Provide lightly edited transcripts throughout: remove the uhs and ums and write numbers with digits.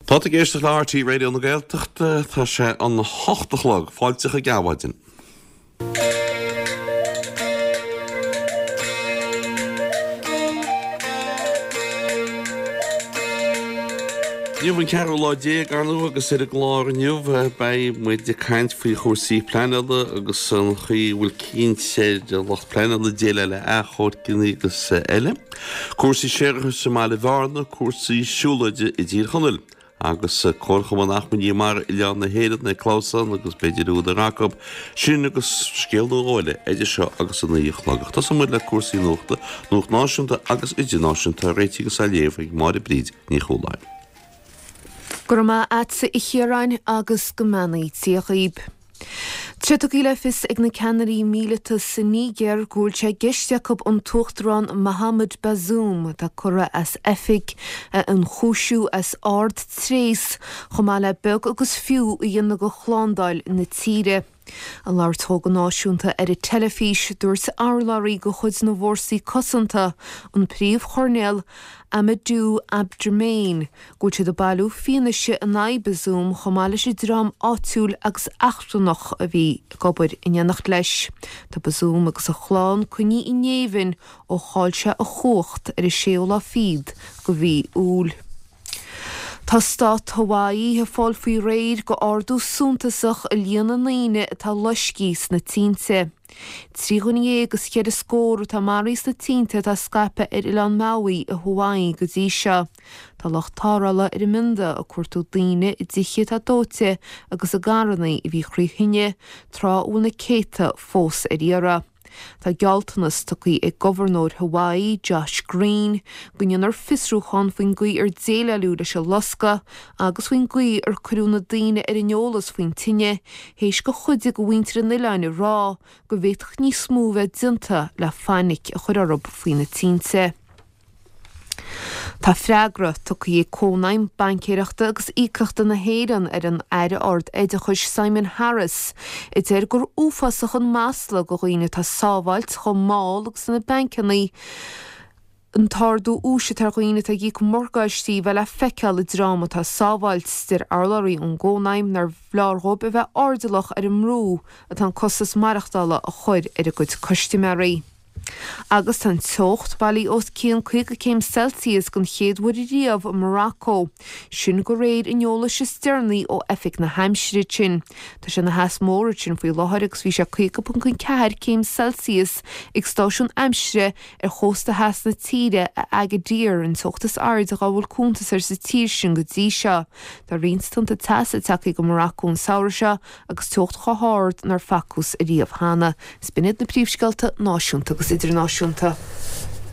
Tá tú ag éisteacht le RTÉ Raidió na Gaeltachta, tá sé an 8 a chlog, fáilte chuig Adhmhaidin. Inniu an ceathrú lá déag, ar ndóigh, agus ar an gclár inniu beidh muid ag caint faoi chúrsaí pleanála agus an chaoi a bhfuil cinnt ar lucht pleanála déileáil le achomhairceanna agus eile. Cúrsaí séarachais i mBaile Bhearna, cúrsaí siúlóide i dTír Chonaill agus Comharchumann Acmhainní Mara Oileán na hÉireann ag clamhsán agus b'fhéidir údar acu sin agus scéal nó dhó eile idir seo agus a 9 a chlog. Ach tosóidh muid le cúrsaí nuachta, nuacht náisiúnta agus idirnáisiúnta á réiteach agus á léamh ag Máire Bríd Ní Chualáin. Go raibh maith a'dsa a Chiaráin agus go mbeannaí Dia dhaoib. Tá sé tugtha le fios ag na ceannairí míleata sa Nígéir go bhfuil sé i gceist acu an tUachtarán Mohamed Bazoum, atá curtha as oifig, a ionchúisiú as ard-tréas chomh maith le beag agus fiú a dhéanamh de shlándáil na tíre. Ag labhairt dhó go náisiúnta ar an teilifís, dúirt urlabhraí de chuid na bhfórsaí cosanta, an Príomh-Choirnéal Amadou Abdramane, go bhfuil siad ag bailiú fianaise in aghaidh Bazoum chomh maith leis an dream áitiúil agus eachtrannach a bhí ag obair in éineacht leis. Tá Bazoum agus a chlann coinnithe i ngéibheann ó chaill sé a chumhacht ar an séú lá fichead de mhí Iúil. Tá stát Hawaii ag fáil faoi réir go ardú suntasach i líon na ndaoine atá loiscthe sna tinte. 13 dhuine is cheithre scór atá maraithe sna tinte atá scaipthe ar oileán Maui i Hawaii go dtí seo. Tá lucht tarrthála ar an mbionda ag cuartú daoine i dtithe atá dóite agus i gcarranna a bhí thrí thine, tráth a bhfuil na céadta fós ar iarraidh. Tá gealltanas tugtha ag Gobharnóir Hawaii, Josh Green, go ndéanfar fiosrúchán faoin gcaoi ar déileáladh leis an loscadh agus faoin gcaoi ar cuireadh na daoine ar an eolas faoin tine, théis do chuid de mhuintir an oileáin a rá go bhféadfadh níos mó a bheith déanta le fainic a chur orthu faoi na tinte. Tá freagra tugtha ag Cónaidhm Baincéireachta agus Íocaíochta na hÉireann ar an Aire Ard-Oideachais Simon Harris, a deir gur uafásach an masla do dhaoine atá ag sábháilt chomh mall agus na bancanna an t-ardú úis atá ar dhaoine atá ag íoc morgáistí bheith le feiceáil i ndream atá ag sábháilt. Deir urlabhraí ón gCónaidhm nár leor dhóibh a bheith airdeallach ar an mbrú atá an costas maireachtála a chur ar a gcuid custaiméirí. Agus tá an teocht bailithe os cionn 50 céim Celsius den chéad uair riamh i Morocco, sin de réir an eolais is deireanaí ó Oifig na hAimsire ansin. Tá sé ina theas mór ansin faoi láthair agus bhí sé 50.4 céim Celsius ag stáisiún aimsire ar chósta theas na tíre, i Agadir, an teocht is airde dhá bhfuil cuntas air sa tír sin go dtí seo. Tá roinnt tonnta teasa tagtha go Morocco an samhradh seo agus teocht chomh hard nár facthas ariamh cheana. Is b'in iad na príomhscéalta náisiúnta agus idirnáisiúnta.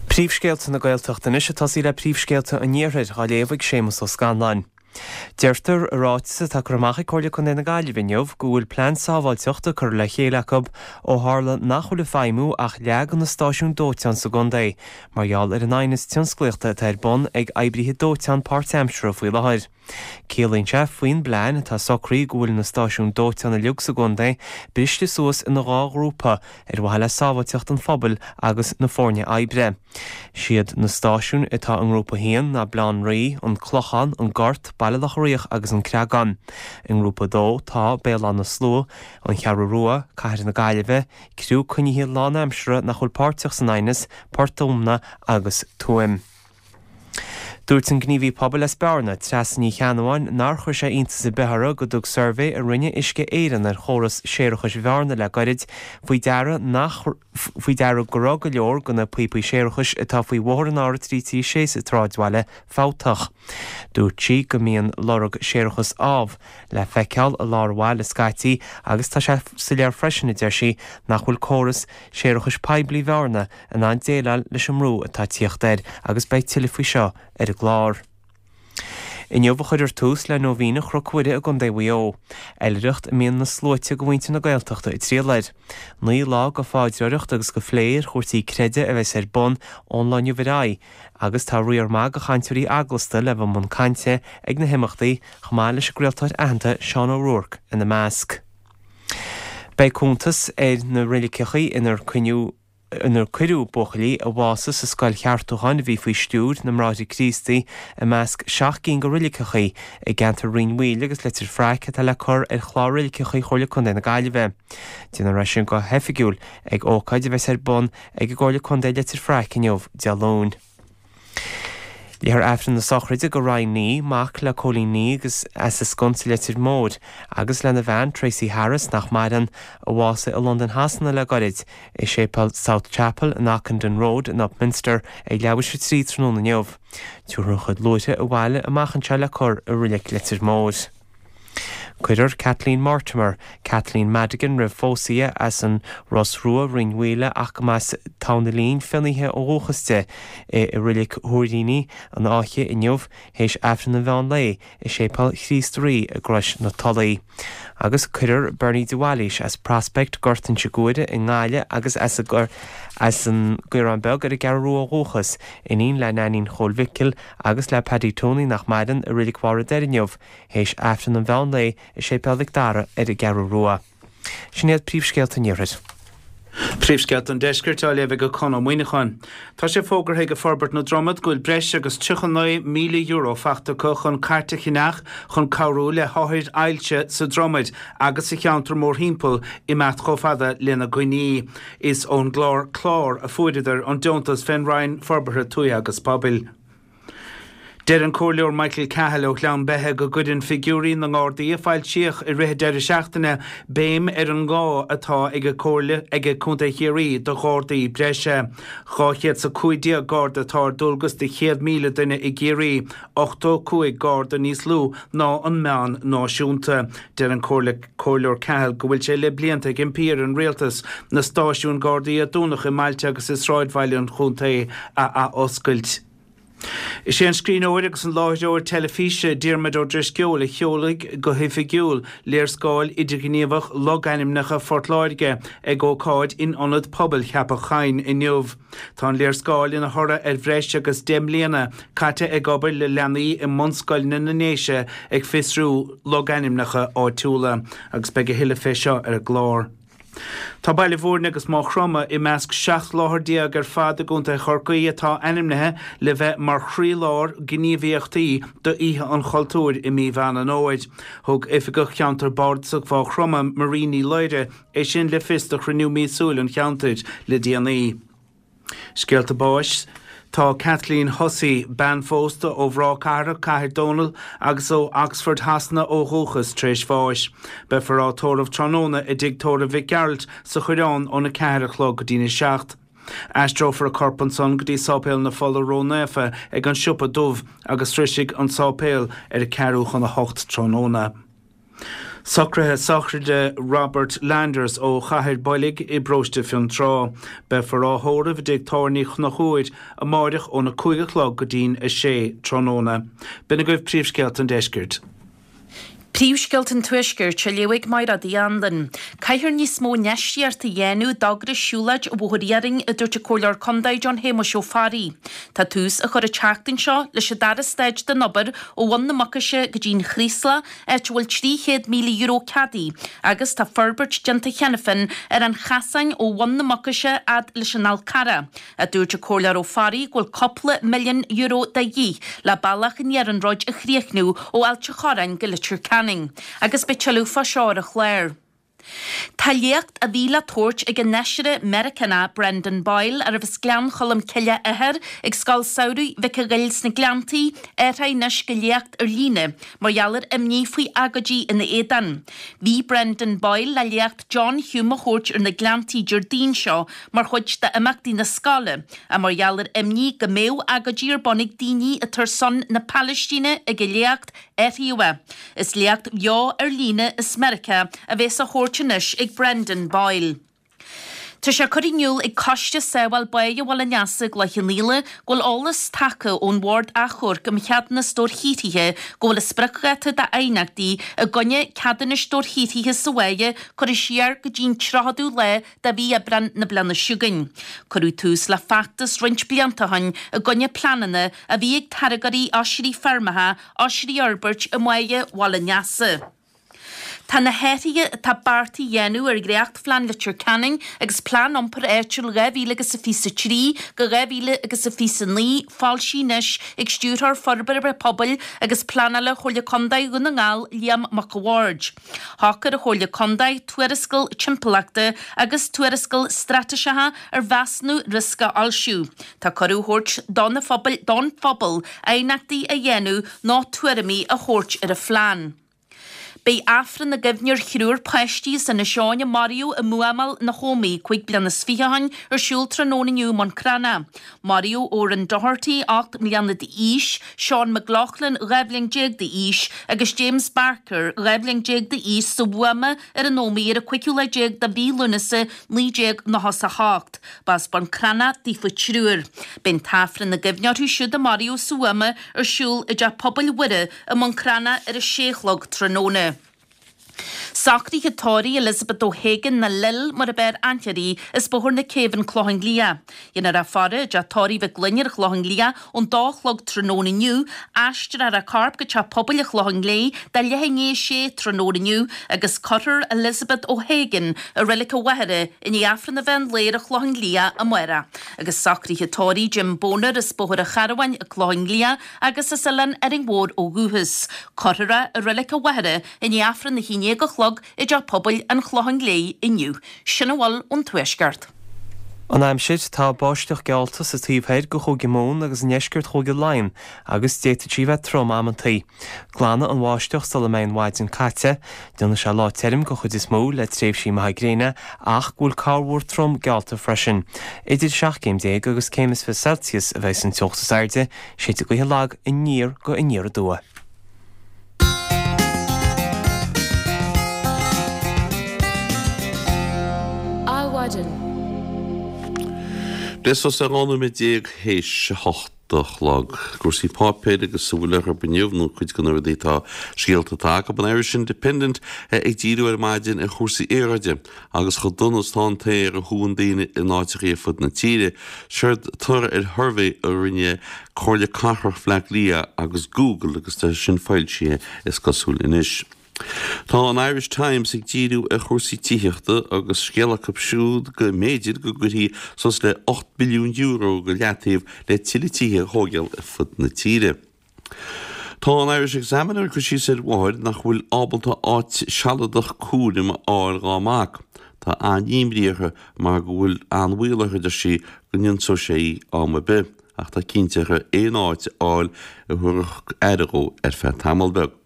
Príomhscéalta na Gaeltachta anois ag tosaí le príomhscéalta an Iarthair, á léamh ag Séamus Ó Scanláin. Deirtear i ráiteas atá curtha amach ag Comhairle Contae na Gaillimhe inniu go bhfuil plean sábháilteachta curtha le chéile acu ó tharla nach bhfuil ag feidhmiú ach leath de na stáisiúin dóiteáin sa gcontae mar gheall ar an aighneas tionsclaíochta atá ar bun ag oibrithe dóiteáin páirtaimseartha faoi láthair. Ciallaíonn sé faoin bplean atá socraithe go bhfuil na stáisiúin dóiteáin uilig sa gcontae briste suas ina dhá ghrúpa ar mhaithe le sábháilteacht an phobail agus na foirne oibre. Siad na stáisiúin atá i nGrúpa 1 ná Baile Átha an Rí, An Clochán, An Gort, Baile Locha Riach agus An Creagán. I nGrúpa 2 tá Béal Átha na Slua, An Cheathrú Rua, Cathair na Gaillimhe, criú coinnithe lánaimseartha nach bhfuil páirteach san aighneas, Port Omna agus Tuaim. Dúirt an gníomhaí pobail as Bearna, Treasa Ní Cheannabháin, nár chuir sé iontas ar bith uirthi go dtug suirbhé a rinne Uisce Éireann ar chóras séarachais Bhearna le gairid faoi deara nach faoi deara go raibh go leor de na píopaí séarachais atá faoi bhóthar an R336 sa tsráidbhaile fabhtach. Dúirt sí go mbíonn lorg séarachais ámh le feiceáil i lár an bhaile scaití agus tá sé soiléir freisin, a deir sí, nach bhfuil córas séarachais poiblí Bhearna in ann déileáil leis an mbrú atá ag tíocht air agus beidh tuilleadh faoi seo ar an gclár. Inniu a chuirfear tús le Nóibhíne Chnoc Mhuire i gContae Mhaigh Eo, oilithreacht a mbíonn na sluaite de mhuintir na Gaeltachta ag triall air. Naoi lá de phaidreoireacht agus de phlé ar chúrsaí creidimh a bheas ar bun ón lá inniu ar aghaidh agus tá riar maith de chainteoirí eaglasta le bheith i mbun cainte ag na himeachtaí chomh maith leis an gcraoltóir aitheanta Seán Ó Ruairc ina measc. Beidh cuntas ar na reiligeachaí inar coinníodh. Inar cuireadh buachaillí a bhásaigh sa scoil cheartúcháin a bhí faoi stiúir na mBráithre Críostaí i measc 7 gcinn de roiliceachaí i gceantar Rinn Mhaoile agus Leitir Fraic atá le cur ar chlár roiliceachaí Chomhairle Contae na Gaillimhe. Déanfar é sin go hoifigiúil ag ócáid a bheas ar bun ag an gComhairle Contae i Leitir Fraic inniu, Dé Luain. Léifear Aifreann na sochraide do Ryan Nee, mac le Cóilín Nee agus as an Sconsa Leitir Móir, agus lena bhean, Tracey Harris, nach maireann, a bhásaigh i Londain Shasana le goirid, i Séipéal South Chapel in Ockendon Road in Upminster ag leathuair tar éis a 3 tráthnóna inniu. Tabharfar an chuid luaithre abhaile amach anseo le cur i Reilig Leitir Móir. Cuirfear Kathleen Mortimer, Kathleen Madigan roimh phósadh di, as an Ros Rua, Rinn Mhaoile ach go mba as Tamhnach Lín, Fionnaithe ó dhúchas di, i Reilig Thuairíní an Fháiche inniu théis Aifreann an mheán lae i Séipéal Chríost Rí i gCrois na Tulaí. Agus cuirfear Bernie de Bhailís as Prospect, Gort Inse Guaire i nGaillimh agus as an gCaorán Beag ar an gCeathrú Rua ó dhúchas, iníon le Nainín Chóil Mhicil agus le Paddy Tony nach maireann, i Reilig Bharr an Doire inniu théis Aifreann an mheán lae i Séipéal Mhic Dara ar an gCeathrú Rua. Sin iad príomhscéalta an Iarthair. Príomhscéalta an Deiscirt á léamh ag Conn Ó Muíneacháin. Tá sé fógartha ag Forbairt na Dromad go bhfuil breis agus €39,000 faighte acu chun cairt a cheannach chun cabhrú le hothair ailse sa Dromaid agus sa cheantar mórthimpeall imeacht chomh fada lena gcoinní. Is ón gclár Clár a fuaireadar an deontas fén Roinn Forbartha Tuaithe agus Pobail. Deir an Comhairleoir Michael Cahill ó Ghleann Beithe go gcuireann figiúirí na nGardaí a foilsíodh i rith an deireadh seachtaine béim ar an ngá atá ag Comhairle ag Contae Chiarraí do Ghardaí breise. 215 Garda atá ar dualgas do 100,000 duine i gCiarraí, 85 Garda níos lú ná an meán náisiúnta. Deir an Comhairleoir Cahill go bhfuil sé le blianta ag impí ar an Rialtas na stáisiúin Gardaí a dúnadh i mbailte agus i sráidbhaile an chontae a athoscailt. Is é an scríbhneoir agus an láithreoir teilifíse Diarmuid Ó Drisceoil a sheolfaidh go hoifigiúil léarscáil idirghníomhach logainmneacha Phort Láirge ag ócáid in Ionad Pobail Cheapach Choinn inniu. Tá an léarscáil ina thoradh ar bhreis agus 10 mbliana caite ag obair le leanaí i mbunscoileanna na nDéise ag fiosrú logainmneacha áitiúla agus beidh a thuilleadh fé seo ar an gclár. Tá Baile Bhúirne agus Maigh Chromtha i measc 17 láthair ar fad i gContae Chorcaí atá ainmnithe le bheith mar chroílár gníomhaíochtaí d'Oíche an Chultúir i mí Mheán an Fhómhair. Thug Oifigeach Cheantar Bardasach Mhaigh Chromtha, Marie Ní Laoire, é sin le fios do chruinniú míosúil an cheantair le déanaí. Scéalta báis Tá Kathleen Hussey, bean phósta ó Bhráth Cathrach, Cathair Dónall agus ó Oxford Shasana ó dhúchas, tar éis bháis. Beifear á tórramh tráthnóna i dTigh Tórraimh Mhic Gearailt sa Choireán óna 4 a chlog go dtína 7. Aistreofar a corp ansan go dtí Sáipéal na Fola Ró-Naofa ag an Siopa Dubh agus sroisfidh an sáipéal ar a ceathrú chun a hocht tráthnóna. Socruithe sochraide Robert Landers ó Chathair Boilg i bparóiste Fionntrá. Beifear á thórramh i dtigh tábhairne Chnoc Úir amáireach óna 5 a chlog go dtí'n 6 tráthnóna. B'in agaibh príomhscéalta an deiscirt. Príomhscéalta an Tuaiscirt á léamh ag Mairéad Uí Anluain. Caithfear níos mó infheistíochta a dhéanamh d'fhógra Siúlóid an Bhóthair Iarainn, a dúirt an Comhairleoir Contae John Shéamuis Ó Fearraigh. Tá tús á chur an tseachtain seo leis an dara staid den obair ó Bhun na Mucaise go dtí an Chraoslach, áit a bhfuil €300,000 ceadaithe, agus tá forbairt déanta cheana féin ar an chasán ó Bhun na Mucaise fhad leis an Fhál Carrach, a dúirt an Comhairleoir Ó Fearraigh go bhfuil cúpla milliún euro de dhíth le bealach an iarnróid a chríochnú ó Ailt an Chorráin go Leitir Ceanainn, agus beidh tuilleadh fá seo ar an chlár. Tá léacht a bhí le tabhairt ag an fheisire Meiriceánach Brendan Boyle, arbh as Gleann Cholm Cille a athair, ag Scoil Samhraidh Mhic an Ghoill sna Gleanntaí, athraithe anois go léacht ar líne mar gheall ar imní faoi agóidí ina éadan. Bhí Brendan Boyle le léacht John Hume a thabhairt ar na Gleanntaí Déardaoin seo mar chuid d'imeachtaí na scoile, ach mar gheall ar imní go mbeadh agóidí ar bun ag daoine atá ar son na Palaistíne ag an léacht, Athraíodh é. Is léacht bheo ar líne as Meiriceá a bheas á thabhairt anois ag Brendan Boyle. Tá sé curtha in iúl ag Coiste Sábháil Báighe Bhaile an Easa i gCloich Cheann Fhaola go bhfuil eolas tagtha ón Bhord Achomhairc um Cheadúnas Dobharshaothraithe go bhfuil an spriocdháta d'aighneachtaí i gcoinne ceadúnais dobharshaothraithe sa bháighe curtha siar go dtí'n 30ú lá de mhí Aibreán na bliana seo chugainn. Cuireadh tús le feachtas roinnt blianta ó shin i gcoinne pleananna a bhí ag táirgeoirí oisrí feirmeacha oisrí a fhorbairt i mbáighe Bhaile an Easa. Tá na hathruithe atá beartaithe a dhéanamh ar dhréachtphlean Leitir Ceanainn agus Plean Iompair Áitiúil 2023 go 2029 foilsithe anois ag Stiúrthóir Forbartha Pobail agus Pleanála Chomhairle Contae Dhún na nGall, Liam Mac a' Bhaird. Shocair an Chomhairle Contae tuarascáil timpeallachta agus tuarascáil straitéiseacha ar mheasúnú riosca a fhoilsiú. Tá cuireadh á thabhairt do na phobail don phobal aighneachtaí a dhéanamh nó tuairimí a thabhairt ar an phlean. Beidh Aifreann i gcuimhne ar thriúr páistí as Inis Eoghain a maraíodh i mbuamáil na hÓmaí 25 bliana ó shin ar siúl tráthnóna inniu i mBun Cranncha. Maraíodh Odhrán Doherty, 8 mbliana d'aois, Seán McLoughlin, 12 bhliain d'aois, agus James Barker, 12 bhliain d'aois sa bhuama ar an Ómaigh ar an 15ú lá de mhí Lúnasa 1998. B'as Bun Cranncha daofa triúr. Beidh an tAifreann i gcuimhne orthu siúd a maraíodh sa bhuama ar siúl i dTeach Pobail Mhuire i mBun Cranncha ar a sé a chlog tráthnóna. Socruithe tórraimh Elizabeth O'Hagan nó Lil mar ab fhearr aithne uirthi as Bóthar na Céibhe an Clochán Liath. Déanfar í a fhaire i dteach tórraimh Mhic Fhloinn ar an Chlochán Liath ón dó a chlog tráthnóna inniu, aistreofar a corp go Teach Pobail an Chlocháin Léith do leath i ndiaidh a sé tráthnóna inniu agus cuirfear Elizabeth O'Hagan i reilig a mháthara i ndiaidh Aifreann an mheán lae ar an Chlochán Liath amárach. Agus socruithe tórraimh Jim Boner as Bóthar an Charbháin, an Clochán Liath, agus as Oileán Árainn Mhór ó dhúchas. Cuirfear é i reilig a mháthara i ndiaidh Aifreann a haon déag a chlog i dTeach Pobail an Chlocháin Léith inniu. Sin a bhfuil ón Tuaisceart. An aimsir, Tá báisteach geallta sa taobh thoir de Chúige Mumhan agus i ndeisceart Chúige Laighean agus d'fhéadfadh sí a bheith trom amantaí. Glanfaidh an bháisteach sula mbeidh an mhaidin caite. Déanfaidh sé lá tirim den chuid is mó le tréimhsí maithe gréine ach go bhfuil corrmhúr trom geallta freisin. Idir 17 céim agus céim is 20 Celsius a bheidh an teocht is airde, Séidfidh gaotha lag aniar go aniar aduaidh. Adhmhaidin. Breis is 12 nóiméad théis a hocht a chlog. Cúrsaí páipéir agus a bhfuil orthu inniu, nó cuid de na rudaí atá, scéalta atá acu. An Irish Independent ag díriú ar maidin ar chúrsaí aeráide. Agus chomh dona is atá an t-aer a shúann daoine in áiteachaí ar fud na tíre, séard toradh ar shuirbhé a rinne Comhairle Cathrach Bhaile Átha Cliath agus Google agus tá sin foilsithe is cosúil anois. Tá an Irish Times ag díriú ar chúrsaí tithíochta agus scéal acu siúd go mb'fhéidir go gcuirfí suas le €8 billiún go leataobh le tuilleadh tithe a thóigeáil ar fud na tíre. Tá an Irish Examiner ag cur síos ar mháthair nach bhfuil ábalta áit sealadach cúraim a fháil dhá mac. Tá an-imní uirthi mar go bhfuil an-bhaol uirthi, a deir sí, go n-ionsóidh sé í am ar bith, ach tá cinnte uirthi aon áit a fháil a thabharfadh aire dhó ar feadh tamall beag.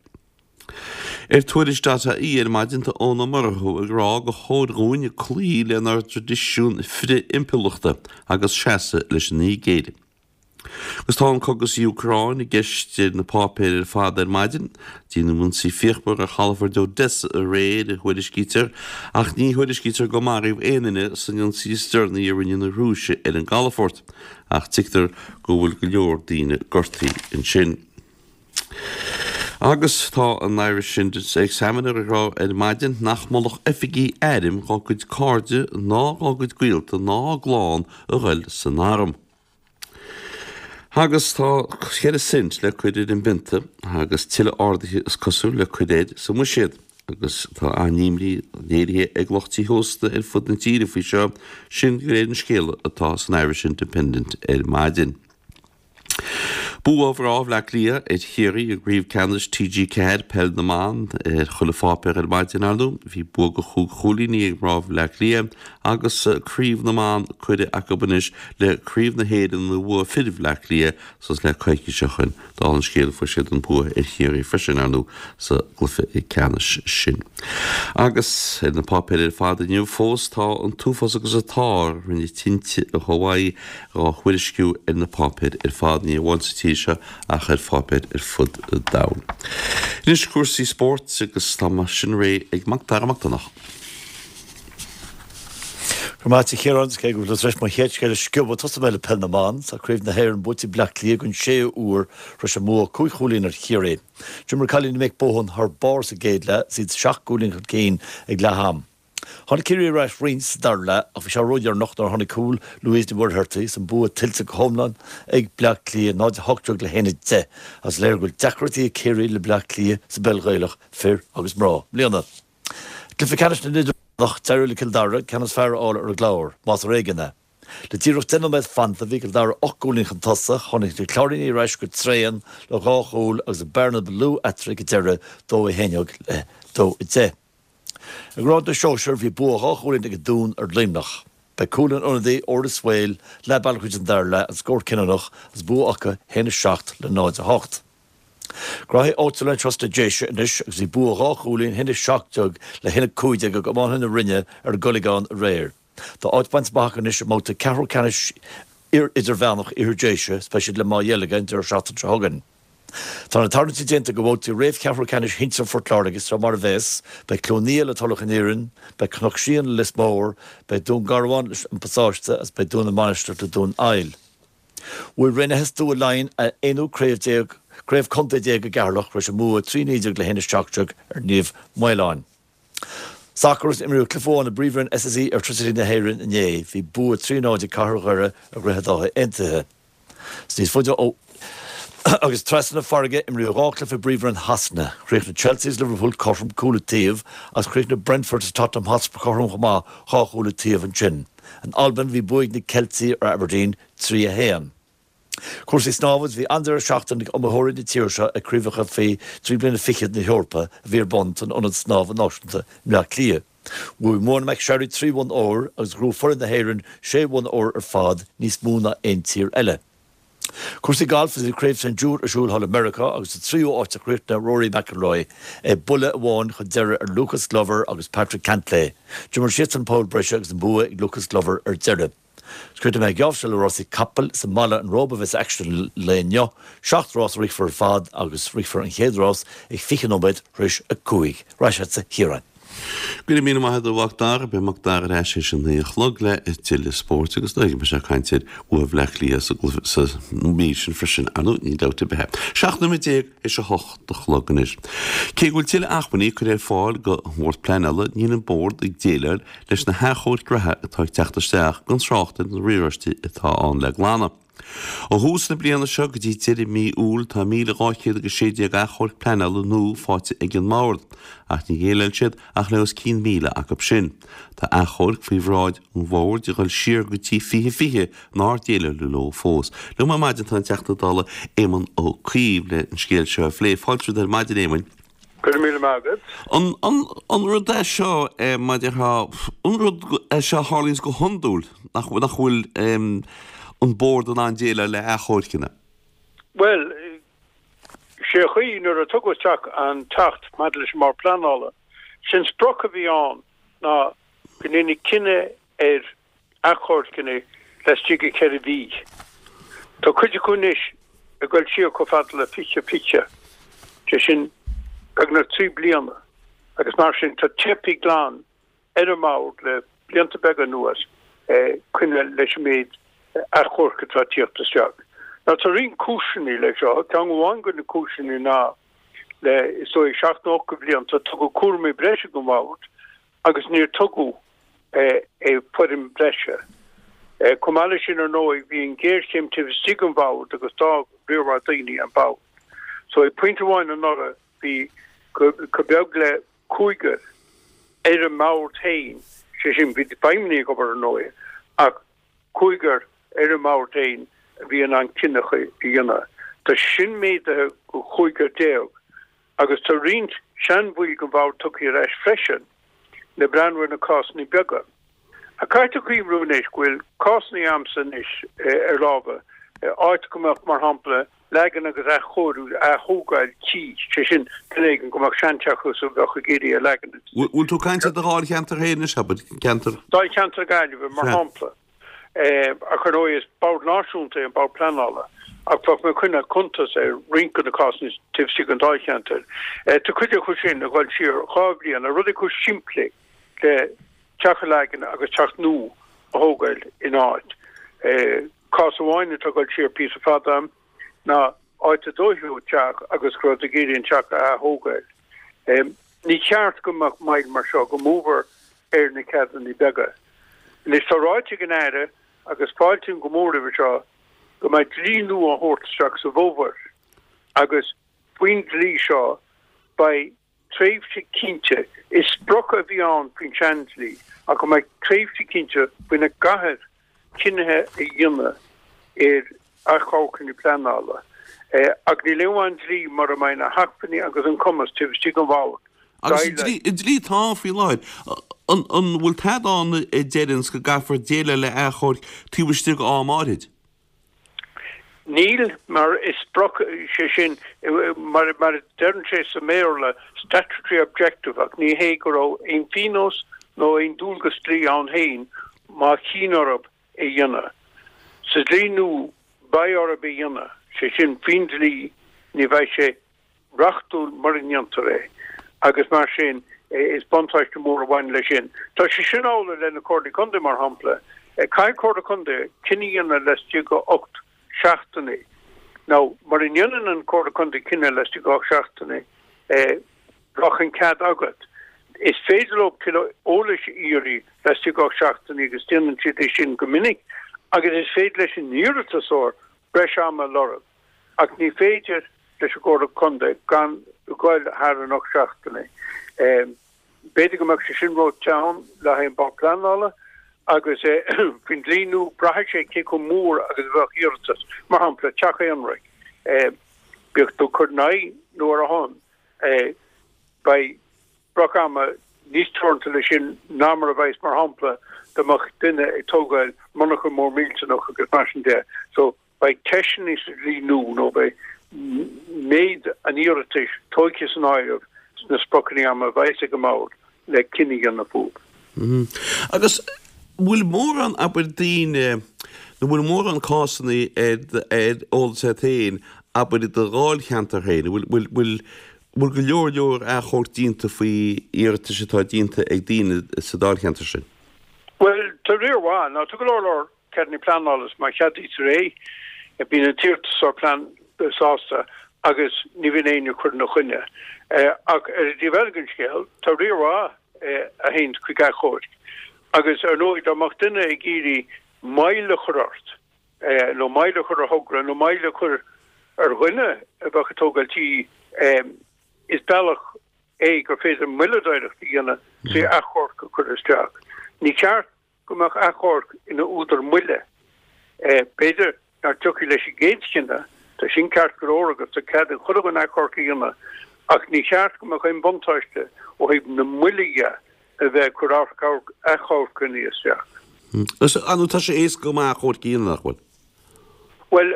Ar Tuairisc dot ie ar maidin tá Eoin Ó Murchú ag rá gur chóir dhúinn cloí lenár dtraidisiún frith-impiriúlachta agus seasamh leis an Nigéir. Agus tá an cogadh sa Úcráin i gceist ar na páipéir ar fad ar maidin. Déanadh ionsaí fíochmhar ar chalafort Odessa aréir, a thuairiscítear, ach ní thuairiscítear gur maraíodh aon duine san ionsaí is deireanaí a rinne na Rúisigh ar an gcalafort, ach tuigtear go bhfuil go leor daoine gortaithe ansin. Agus tá an Irish Examiner ag rá ar maidin nach molfadh oifigigh airm dhá gcuid cairde ná dhá gcuid gaolta ná a gclann a ghoil san arm. Agus tá cheithre cent le cur ar an bpionta agus tuilleadh arduithe is cosúil le cur air sa mbuiséad. Agus tá an-imní léirithe ag lucht tithe ósta ar fud na tíre faoi seo, sin de réir an scéala atá san Irish Independent ar maidin. Bua mhná Bhaile Átha Cliath ar Chiarraí i gCraobh Ceannais TG4 Peil na mBan ar chuile pháipéar ar maidin, ar ndóigh. Bhí bua de chúig chúilíní ag mná Bhaile Átha Cliath agus Craobh na mBan curtha acu anois le Craobh na hÉireann a bhuaigh fir Bhaile Átha Cliath suas le coicís ó shoin. Dála an scéil fuair siad an bua ar Chiarraí freisin, ar ndóigh, sa gcluiche ceannais sin. Agus ar na páipéir ar fad inniu fós tá an t-uafás agus an t-ár a rinne tinte i Hawaii dhá thuairisciú ar na páipéir ar fad, ní amháin sa tír seo ach ar pháipéir ar fud an domhain. Anois cúrsaí spóirt agus tá sin réidh ag Mac Dara Mac Donncha. Go raibh maith agat a Chiaráin, cé go bhfuil tú tar éis mo chéad scéal a sciobadh, tosóidh mé le Peil na mBan. Tá Craobh na hÉireann buaite ag Bleá Cliath don séú huair tar éis a mbua cúig chúilín ar Chiarraí. D'imir cailíní Mick Bohan thar barr sa gcéad leath is iad seacht gcúilín chun cinn ag leath am. Tháinig Ciarraí ar ais roinnt sa dara leath ach bhí sé ródheireanach nuair a tháinig cúl Louise Ní Mhuircheartaigh is an bua tuillte go hiomlán ag Bleá Cliath, 0-18 le 1-10 agus is léir go bhfuil deacrachtaí ag Ciarraí le Bleá Cliath sa bpeil Ghaelach, fir agus mná, i mbliana. Cluiche ceannais na nIdirmheánach, d'éirigh le Cill Dara ceann is fearr a fháil ar an gClár, más ar éigean é. Le díreach 10 nóiméad fanta, bhí Cill Dara 8 gcúilín chun tosaigh, tháinig na Cláirínigh ar ais go tréan le dhá chúl agus an bearna ba lú eatarthu ag an deireadh, 2-11 le 2-10. I ngrád na sóisear, bhí bua dhá chúilín ag an Dún ar Luimneach. B'é cúl an ionadaí, Odhrán Swail, leath bealaigh tríd an dara leath, an scór cinniúnach agus bua acu 1-7 le 0-8. Graithí áitiúla anseo sna Déise anois agus bhí bua dhá chúilín, 1-17 le 1-15 ag iománaithe na Rinne ar an gColgán aréir. Tá áit bainte amach acu anois i mbabhta ceathrú ceannais idirmheánach Iarthar Déise is beidh siad le Maigh Dheilge an deireadh seachtaine seo chugainn. Tá na tarraingtí déanta do bhabhtaí réamh-cheathrú ceannais shinsir Phort Láirge seo mar a bheas, beidh Cluain Lia le Tulach an Iarainn, beidh Cnoc Síon le Lios Mór, beidh Dún Garbhán leis An Pasáiste agus beidh Dún na Mainistreach le Dún Aill. Bhuaigh Raonaithe Stua Laighean a aonú craobh déag, craobh contae déag i gCeatharlach tar éis a mbua 3-19 le 1-17 ar Naomh Maoláin. Sacar agus imríodh cluiche amháin i bPríomhroinn SSE Airtricity na hÉireann inné. Bhí bua 3-0 ag Cathair Dhoire ar Dhroichead Átha Aontaithe. Is níos faide ó agus trasna na farraige, imríodh dhá chluiche i bPríomhroinn Shasana. Chríochnaigh Chelsea agus Liverpool cothrom, cúl an taobh, agus chríochnaigh Brentford agus Tottenham Hotspur cothrom chomh maith, dhá chúl an taobh ansin. In Albain, bhí bua ag na Ceiltigh ar Aberdeen, 3-1. Cúrsaí snámha agus bhí an-deireadh seachtaine ag iomaitheoirí na tíre seo ag Craobhacha faoi thrí bliana fichead na hEorpa a bhí ar bun san Ionad Snámha Náisiúnta i mBleá Cliath. Bhuaigh Mona McSharry 3 bhonn óir agus ghnóthaigh foireann na hÉireann 6 bhonn óir ar fad, níos mó ná aon tír eile. Cúrsaí gailf agus bhí Craobh St Jude ar siúl thall i Meiriceá agus sa tríú háit a chríochnaigh Rory McIlroy, é buille amháin chun deiridh ar Lucas Glover agus Patrick Cantlay. D'imir siadsan poll breise agus an bua ag Lucas Glover ar deireadh. Críochnóidh mé an geábh seo le rásaí capall is i mBaile an Róba a bheas aicsean an lae inniu. Seacht rás a rithfear ar fad agus rithfear an chéad rás ag 20 nóiméad tar éis 5. Ar ais agatsa a Chiaráin. Go raibh míle maith agat a Mhac Dara. Beidh Mac Dara ar ais théis a naoi a chlog le tuilleadh spóirt agus beidh sé ag caint ar bhua Bhleá Cliath sa gcluiche sa mír sin freisin, ar ndóigh, níl dabht ar bith. 17 nóiméad théis a hocht a chlog anois. Cé go bhfuil tuilleadh acmhainní curtha ar fáil don Bhord Pleanála, níl an Bord ag déileáil leis na hachomhairc reatha atá ag teacht isteach, gan trácht ar na riaráistí atá ann le glanadh. Ó thús na bliana seo go dtí deireadh mí Iúil tá 1,216 achomharc pleanála nua faighte ag an mBord, ach níor dhéileáil siad ach le os cionn 1,000 acu sin. Tá achomhairc faoi bhráid an Bhoird ag dul siar go dtí 2020 nár déileáladh leo fós. Liom ar maidin tá an Teachta Dála Éamon Ó Cuív le an scéal seo a phlé. Fáilte romhat ar maidin, Éamoin. Go raibh míle maith agat. An, an, an rud é seo, mar a déarfá, an rud é seo a tharlaíonns go hiondúil, nach, nach bhfuil an Bord in ann déileáil le achomhairceanna? Bhuel, sé an chaoi, nuair a tugadh isteach an tAcht maidir leis an mBord Pleanála, sé'n sprioc a bhí ann ná go ndéanfaí cinneadh ar achomhairceanna laistigh de cheithre mhí. Tá cuid acu anois ag dul siar chomh fada le 2020, sé sin beagnach trí bliana, agus mar sin tá teipthe glan ar an mBord le blianta beaga anuas coinneáil leis an méid achomharc atá ag tíocht isteach. Now tá roinnt cúiseanna leis seo. Ceann amháin de na cúiseanna ná le is dóigh seacht nó ocht de bhlianta tugadh cúraimí breise don Bhord agus níor tugadh foireann breise. Chomh maith leis sin, ar ndóigh, bhí an ghéarchéim taobh istigh den Bhord agus d'fhág riar mhaith daoine an Bord. So ag pointe amháin anuraidh bhí chomh beag le cúigear ar an mBord féin, sé sin, bhí feidhmeannaigh ag obair ar ndóigh, ach cúigear ar an mBord féin a bhí in ann cinneadh a dhéanamh. Tá sin méadaithe go chúigear déag. Agus tá roinnt seanbhaill den bhord tugtha ar ais freisin le breathnú ar na cásanna beaga. Ach caithfidh tú cuimhniú anois go bhfuil cásanna a'msa anois ar lámha, áit go mbeadh, mar shampla, leagan agus athchóiriú, ath-thógáil tí, sé sin, duine éigin go mbeadh seanteach acu a bheadh ag iarraidh a leagan. Bhfuil tú ag caint ar do dháilcheantar féin anois, abair, ceantar. Dáilcheantar na Gaillimhe, mar shampla. Ach ar ndóigh is bord náisiúnta é an Bord Pleanála ach bheadh mé ag coinneáil cuntas ar roinnt de na cásanna taobh istigh den dáilcheantar. Tá cuid acu sin ag dul siar dhá bhliain, ar rudaí chomh simplí le teach a leagan agus teach nua a thógáil ina áit. Cás amháin atá ag dul siar píosa fada ná áit a dódh teach agus go raibh ag iarraidh an teach a ath-thógáil. Ní ceart go mbeadh moill mar seo, go mór mhór ar na ceadanna beaga. Anois tá ráite ag an Aire, agus fáiltím go mór roimhe seo, go mbeidh dlí nua á thabhairt isteach sa bhfómhar agus faoin dlí seo beidh. tréimhse cinnte, is sprioc a bhí ann faoin seandlí, ach go mbeidh tréimhse cinnte faoina gcaithfear cinnithe a dhéanamh ar achomharcanna pleanála. Ach níl aon mhaith an dlí mura mbeidh na hacmhainní agus an cumas taobh istigh den bhord Agus an dlí atá ann faoi láthair, an bhfuil tada ann a deireanns go gcaithfear déileáil le achomhairc taobh istigh d'am áirid? Níl, mar is sprioc, sé sin, mar a deireann sé sa mBéarla, statutory objective, ach ní hé go raibh aon phionós nó aon dualgas dlí ann féin má chinn orthu é a dhéanamh. Sa dlí nua, beidh orthu é a dhéanamh, sé sin, faoin dlí, ní bheidh sé reachtúil mura ndéantar é agus mar sin is buntáiste mór a bhaineann leis sin. Tá sé sin amhlaidh le na Comhairlí Contae mar shampla. Caithfidh Comhairle Contae cinneadh a dhéanamh laistigh de 8 seachtainí. Now mura ndéanann an Comhairle Contae cinneadh laistigh de 8 seachtainí bheadh an cead agat. Is féidir leo tuilleadh eolais a iarraidh laistigh de 8 seachtainí agus déanann siad é sin go minic agus is féidir leis an iarratasóir breis ama a lorg. Ach ní féidir leis an gComhairle Contae gan goil thar an 8 seachtainí. B'fhéidir go mbeadh sé sin ró-teann le haghaidh an Bord Pleanála agus faoin dlí nua braithfidh sé cé chomh mór agus a bheadh iarratas. Mar shampla, teach aonraic, bíodh tú ag cur in aghaidh nó ar a shon, beidh sprioc ama níos teoranta leis sin ná mar a bheas, mar shampla, dá mbeadh duine ag tógáil monarcha mór millteanach agus mar sin de. So, Beidh ceisteanna sa dlí nua nó beidh méid an iarratais tógtha san áireamh sna spriocanna ama a bheas ag an mBord le cinneadh a dhéanamh fúthu. Agus bhfuil mórán, abair, daoine, nó bhfuil mórán cásanna ar ar eolas agat féin, abair, i do dháilcheantar féin, bhfuil, bhfuil, bhfuil, bhfuil go leor leor achomhairc déanta faoi iarratais atá déanta ag daoine sa dáilcheantar sin? Bhuel, tá riar mhaith. Now, tá go leor leor ceadanna pleanála is má cheadaítear é, bíonn an t-iarratasóir plean sásta agus ní bhíonn éinne ag cur ina choinne. Ach ar an dtaobh eile den scéal, tá riar mhaith a théann chuig achomhairc. Agus ar ndóigh, dá mbeadh duine ag iarraidh moill a chur ort, nó moill a chur ar thogra, nó moill a chur ar dhuine a bheadh ag tógáil tí, is bealach é gur féidir moilleadóireacht a dhéanamh trí achomharc a chur isteach. Ní ceart go mbeadh achomharc ina údar moille. B'fhéidir nach dtiocfaí leis an gcéad chinneadh, tá sin ceart go leor agus tá cead ag chuile dhuine achomharc a dhéanamh, ach ní cheart go mbeadh aon bhuntáiste ó thaobh na moille dhe a bheith ag cur achomharcanna isteach. Is nó tá sé éasca go maith achomharc a dhéanamh, nach bhfuil? Bhuel,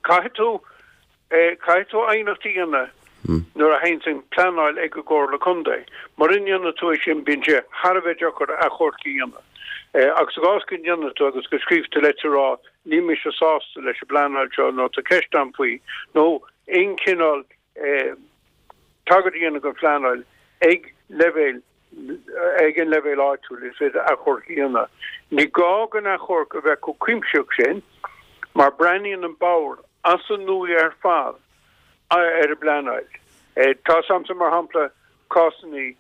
caithfidh tú Caithfidh tú aighneacht a dhéanamh nuair a théanns an pleanáil ag an gComhairle Contae. Mura ndéanann tú é sin bíonn sé thar a bheith deacair achomharc a dhéanamh. Ach sa gcás go ndéanann tú agus go scríobh tú leitir a rá níl mise sásta leis an bpleanáil seo nó tá ceist agam faoi nó aon chineál tagairt a dhéanamh don phleanáil ag leibhéal ag an leibhéal áitiúil, is féidir achomharc a dhéanamh. Ní gá don achomharc a bheith chomh cuimsitheach sin, mar breathnaíonn an Bord as an nua ar fad ar an bpleanáil. Tá 's a'msa, mar shampla, cásanna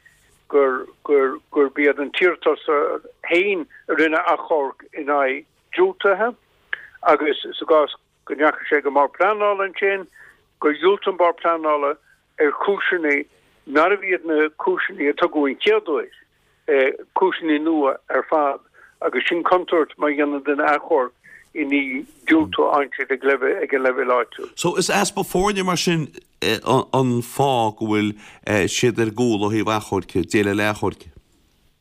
gur gurb iad an t-iarratasóir féin a rinne achomharc in aghaidh diúltaithe agus sa gcás go ndeachaigh sé go mBord Pleanála ansin, gur dhiúltaigh an Bord Pleanála ar chúiseanna nárbh iad na cúiseanna a tugadh an chéad uair, cúiseanna nua ar fad, agus sin contúirt má dhéanann duine achomharc i ndiaidh diúltú a aimsir ag ag an leibhéal áitiúil. So is easpa foirne mar sin an fáth go bhfuil siad ar gcúl ó thaobh achomhairc, déileáil le achomhairc?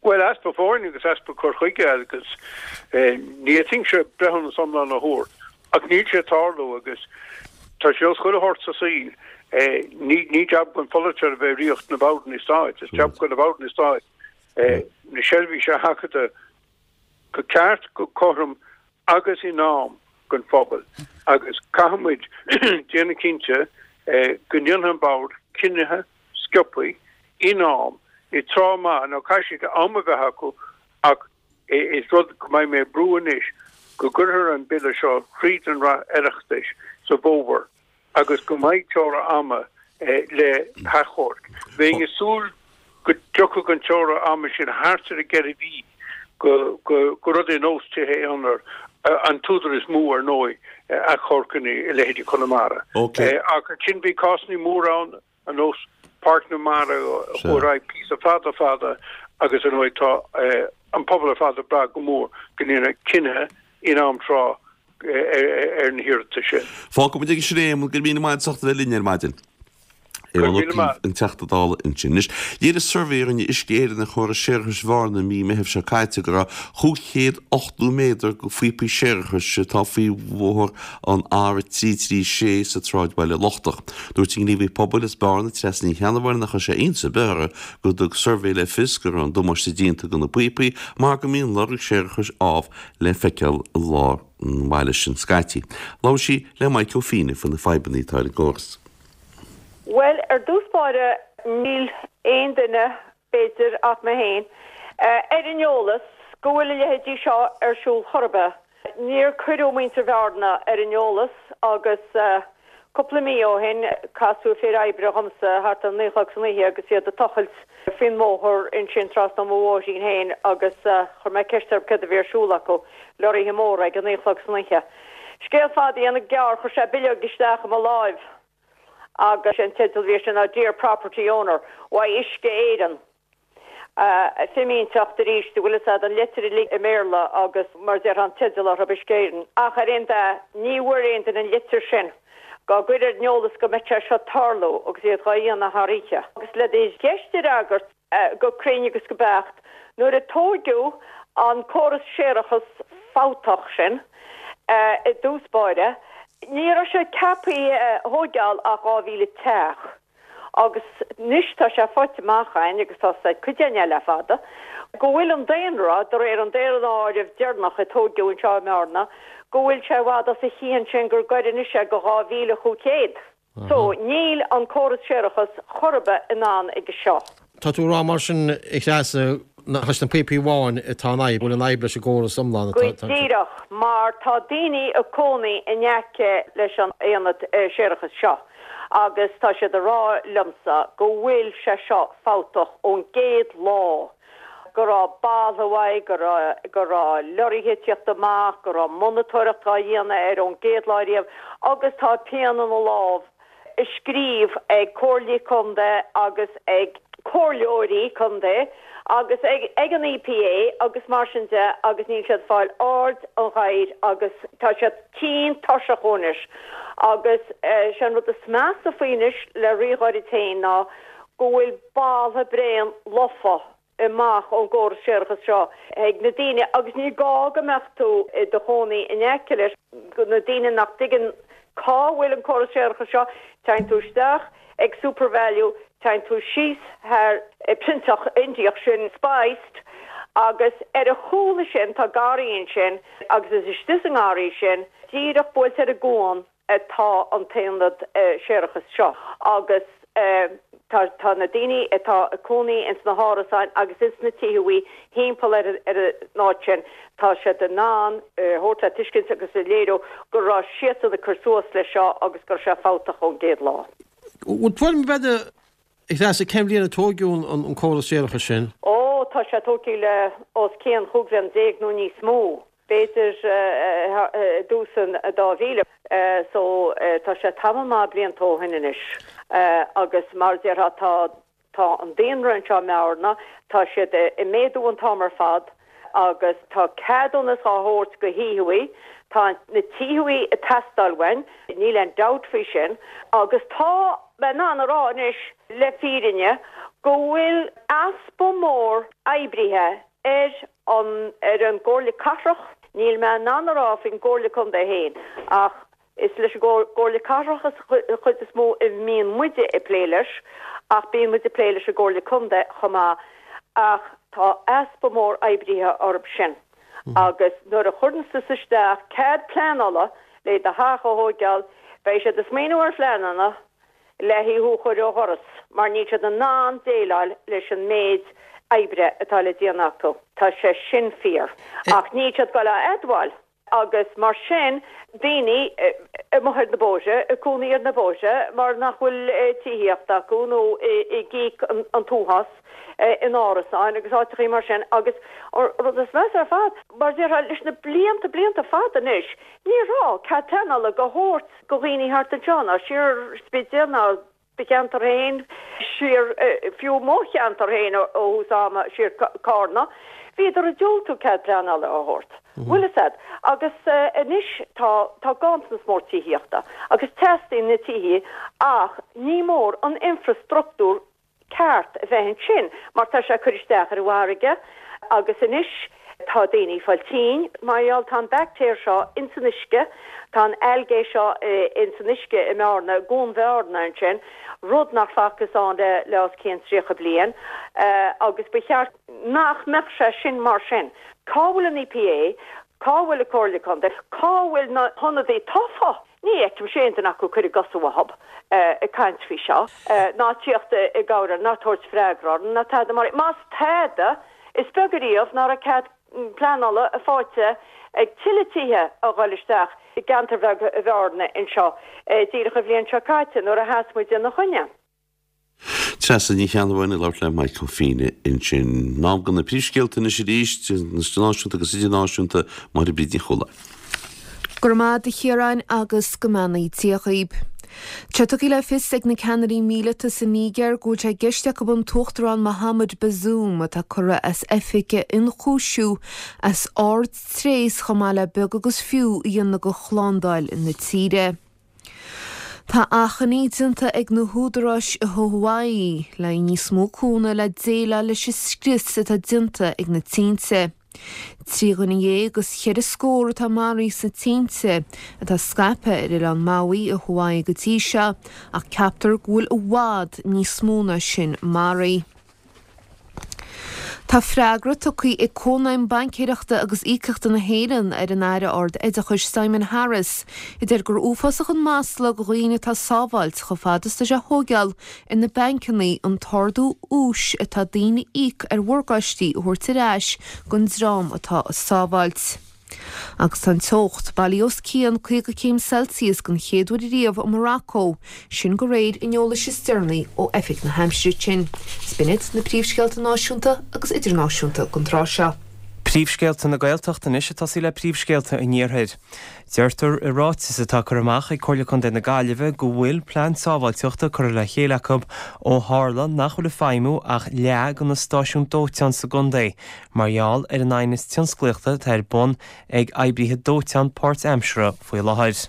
Bhuel, easpa foirne agus easpa cur chuige agus ní fhéadfainnse breithiúnas iomlán a thabhairt ach níl sé ag tarlú agus tá sé ar nós chuile shórt sa saol, ní jab don pholaiteoir a bheith ag ritheacht na mbordanna stáit, is jab do na bordanna stáit na seirbhísí a sheachadadh go ceart, go cothrom agus in am don phobal agus caithfidh muid déanamh cinnte go ndéanfaidh an Bord cinnithe sciobtha in am, i dtráth maith. Now caithfidh siad am a bheith acu ach is rud go mbeidh mé ag brú anois go gcuirfear an Bille seo thríd an Oireachtas sa bhfómhar agus go mbeidh teora ama le hachomhairc. Bheinn ag súil go dtiocfadh an teora ama sin thart ar an gceithre mhí go rud ar nós tithe aonair, an t-údar is mó ar ndóigh achomharcanna i leithéidí Conamara. Ach ansin bhí cásanna móra ann ar nós. Páirc na Mara a chuaigh ar aghaidh píosa fada fada agus ar ndóigh tá an pobal ar fad ag brath go mór go ndéanfar cinneadh in am tráth ar na hiarratais sin. Fágfaidh muid aige sin é, Éamonn, go raibh míle maith agat as ucht a bheith linn ar maidin. Éamon Ó Cuív, an Teachta Dála ansin. Anois, léirigh suirbhé a rinne Uisce Éireann ar chóras séarachais Bhearna i mí Meithimh seo caite go raibh 580 méadar de phíopaí séarachais atá faoi bhóthar an R336 sa tsráidbhaile lochtach. Dúirt an gníomhaí pobail as Bearna, Treasa Ní Cheannabháin, nach raibh sé iontas ar bith uirthi go dtug suirbhé le fios go raibh an damáiste déanta do na píopaí mar go mbíonn lorg séarachais ámh le feiceáil i lár an bhaile sin scaití. Labhair sí le Maidhc Ó Fiannaigh faoi na fadhbanna atá ar an gcóras. Bhuel, ar dtús báire, níl aon duine, b'fhéidir, ach mé féin, ar an eolas go bhfuil a leithéidí seo ar siúl chor ar bith. Níor cuireadh muintir Bhearna ar an eolas agus cúpla mí ó shin casadh fir oibre dhomsa thart ar naoi a chlog san oíche agus iad ag tochailt faoin mbóthar ansin trasna ó mo bhóithrín féin agus chuir mé ceist orthu céard a bhí ar siúl acu, leoraithe móra ag a naoi a chlog san oíche. Scéal fada a dhéanamh gearr, chuir sé bileog isteach i mo láimh agus an teideal a bhí air sin ná Dear Property Owner, Why Uisce Éireann. Fimínteacht arís, an bhfuil fhios a'd, an leitir uilig i mBéarla agus mar a déarfá an teideal orthu, Uisce Éireann. Ach ar aon dath, ní bhfuair aon duine an litir sin dhá gcur ar an eolas go mbeadh sé seo ag tarlú agus iad dhá dhéanamh thar oíche. Agus le do cheist a fhreagairt go cruinn agus go beacht, nuair a tóigeadh an córas séarachas fabhtach sin i dtús báire, ní raibh sé ceaptha a thóigeáil ach 2,000 teach. Agus anois tá sé faighte amach againn, agus tá fhios ag cuid againn é le fada, go bhfuil an daonra, de réir an daonáirimh deireanach a tóigeadh anseo i mBearna, go bhfuil sé i bhfad os a chionn sin gur goire anois é go 2,500. So, níl an córas séarachais chor ar bith in ann aige seo. Tá tú ag rá mar sin, a Threasa, nach leis na píopaí amháin atá an fhadhb, go bhfuil an fhadhb leis an gcóras iomlán Go atá ansin. díreach, mar tá daoine ag cónaí in aice leis an aonad séarachais seo agus tá siad ag rá liomsa go bhfuil sé seo fabhtach ón gcéad lá, go raibh baltha uaidh, go raibh, go raibh leoraithe ag tíocht amach, go raibh monatóireacht á dhéanamh air ón gcéad lá riamh agus tá pian ina lámh ag scríobh ag comhairlí contae agus ag comhairleoirí contae agus ag ag an EPA agus mar sin de agus níl siad ag fáil aird an ghadhair agus tá siad tinn tuirseach anois agus sé an rud is measa faoi anois le ríghairid féin ná go bhfuil baltha bréan lofa amach ón gcóras séarachais seo ag na daoine agus ní gá go mbeadh tú i do chónaí in aice leis, na daoine nach dtuigeann cá bhfuil an córas séarachais seo, téann tú isteach ag Supervalu, téann tú síos thar proinnteach Indiach sin Spiced agus ar a chúl sin tá garraí ansin agus is istigh sa ngarraí sin, díreach buailte ar an gcuan, atá an t-aonad séarachais seo agus tá tá na daoine atá ag cónaí ins na hárasáin agus ins na tithe thimpeall ar ar an áit sin tá siad in ann a thabhairt le tuiscint agus a léiriú go raibh siadsan ag cur suas leis seo agus go raibh sé fabhtach ón gcéad lá. Bhfuil tuairim ar bith agat a Threasa cén bhliain a tóigeadh an córas séarachais sin? Ó tá sé tógtha le os cionn chúig bhliain déag nó níos mó. b'fhéidir i dtús an 2000 so tá sé tamall maith blianta ó shin anois agus mar a déarfá tá tá an daonra anseo i mBearna, tá siad ag méadú an t-am ar fad agus tá ceadúnas á thabhairt go thithe, tá na tithe ag teastáil uainn, níl aon dabht faoi sin agus tá mé in ann a rá anois le fírinne go bhfuil easpa mór oibrithe ar an ar an gComhairle Cathrach, níl mé in ann a rá faoin gComhairle Contae féin ach is leis an gComhairle Cathrach an chuid is mó a mbíonn muide ag plé leis ach bíonn muid ag plé leis an gComhairle Contae chomh maith ach tá easpa mór oibrithe orthu sin agus nuair a chuireann tusa isteach cead pleanála le do theach a thóigeáil beidh siad ag smaoineamh ar phleananna le thú a chur ó dhoras mar níl siad in ann déileáil leis an méid oibre atá le déanamh acu. Tá sé sin fíor. Ach níl siad ag goil á admháil agus mar sin daoine amuigh ar na bóithre, ag cónaí ar na bóithre mar nach bhfuil tithíocht acu nó ag íoc an t-uafás in árasáin agus áiteachaí mar sin agus an rud is measa ar fad, mar a déarfá, leis na blianta, blianta fada anois, ní raibh cead pleanála á thabhairt go dhaoine thart anseo, ná siar Spidéal ná. do cheantar féin, siar, fiú mo cheantar féin ó thús ama, siar Cárna, bhíodar ag diúltú cead pleanála a thabhairt. Bhfuil fhios a'd? Agus anois tá, tá ganntanas mór tithíochta agus teastaíonn na tithí ach ní mór an infreastruchtúr ceart a bheith ansin mar tá sé ag cur isteach ar an bhfarraige agus anois tá daoine ag fáil tinn mar gheall tá an baictéar seo ins an uisce, tá an algae seo ins an uisce i mBearna, i gCuan Bhearna ansin, rud nach facthas ann le le os cionn 30 bliain agus ba cheart nach mbeadh sé sin mar sin. Cá bhfuil an EPA? Cá bhfuil an Comhairle Contae? Cá bhfuil na hionadaithe tofa? Ní fheicimse aon duine acu ag cur a gcosa uathu ag caint faoi seo, ná tíocht i gcabhair orainn, ná tabhairt freagra orainn, ná tada mar. Más tada, is beag ariamh ná raibh cead pleanála faighte ag tuilleadh tithe a dhul isteach i gceantar bheag Bhearna anseo díreach an bhliain seo caite nuair a sheas muid ina choinne. Treasa Ní Cheannabháin ag labhairt le Michael Ó Feinneadha ansin. In am do na príomhscéalta anois arís, náisiúnta agus idirnáisiúnta, Máire Bríd Ní Chualáin. Go raibh maith a'd a Chiaráin agus go mbeannaí Dia dhaoib. Tá tugtha le fios ag na ceannairí míleata sa Nígéir go bhfuil sé i gceist acu an tUachtarán Mohamed Bazoum atá curtha as oifig a ionchúisiú as ard-tréas chomh maith le beag agus fiú a dhéanamh de shlándáil na tíre. Tá achainí déanta ag na húdaráis i Hawaii le haghaidh níos mó cúnamh le déileáil leis an scrios atá déanta ag na tinte. 13 dhuine agus cheithre scór atá maraithe sna tinte atá scaipthe ar oileán Maui i Hawaii go dtí seo ach ceaptar go bhfuil i bhfad níos mó ná sin maraithe. Tá freagra tugtha ag Cónaidhm Baincéireachta agus Íocaíochta na hÉireann ar an Aire Ard-Oideachais Simon Harris a deir gur uafásach an masla do dhaoine atá ag sábháilt chomh fada is atá sé a thóigeáil ar na bancanna an t-ardú úis atá daoine a íoc ar mhorgáistí a thabhairt ar ais don dream atá ag sábháilt. Agus tá an teocht bailithe os cionn 50 céim Celsius den chéad uair riamh i Morocco, sin de réir an eolais is deireanaí ó Oifig na hAimsire sin. Is b'in iad na príomhscéalta náisiúnta agus idirnáisiúnta don tráth seo. Príomhscéalta na Gaeltachta anois ag tosaí le príomhscéalta an Iarthair. Deirtear i ráiteas atá curtha amach ag Comhairle Contae na Gaillimhe go bhfuil plean sábháilteachta curtha le chéile acu ó tharla nach bhfuil ag feidhmiú ach leath de na stáisiúin dóiteáin sa gcontae mar gheall ar an aighneas tionsclaíochta atá ar bun ag oibrithe dóiteáin páirtaimseartha faoi láthair.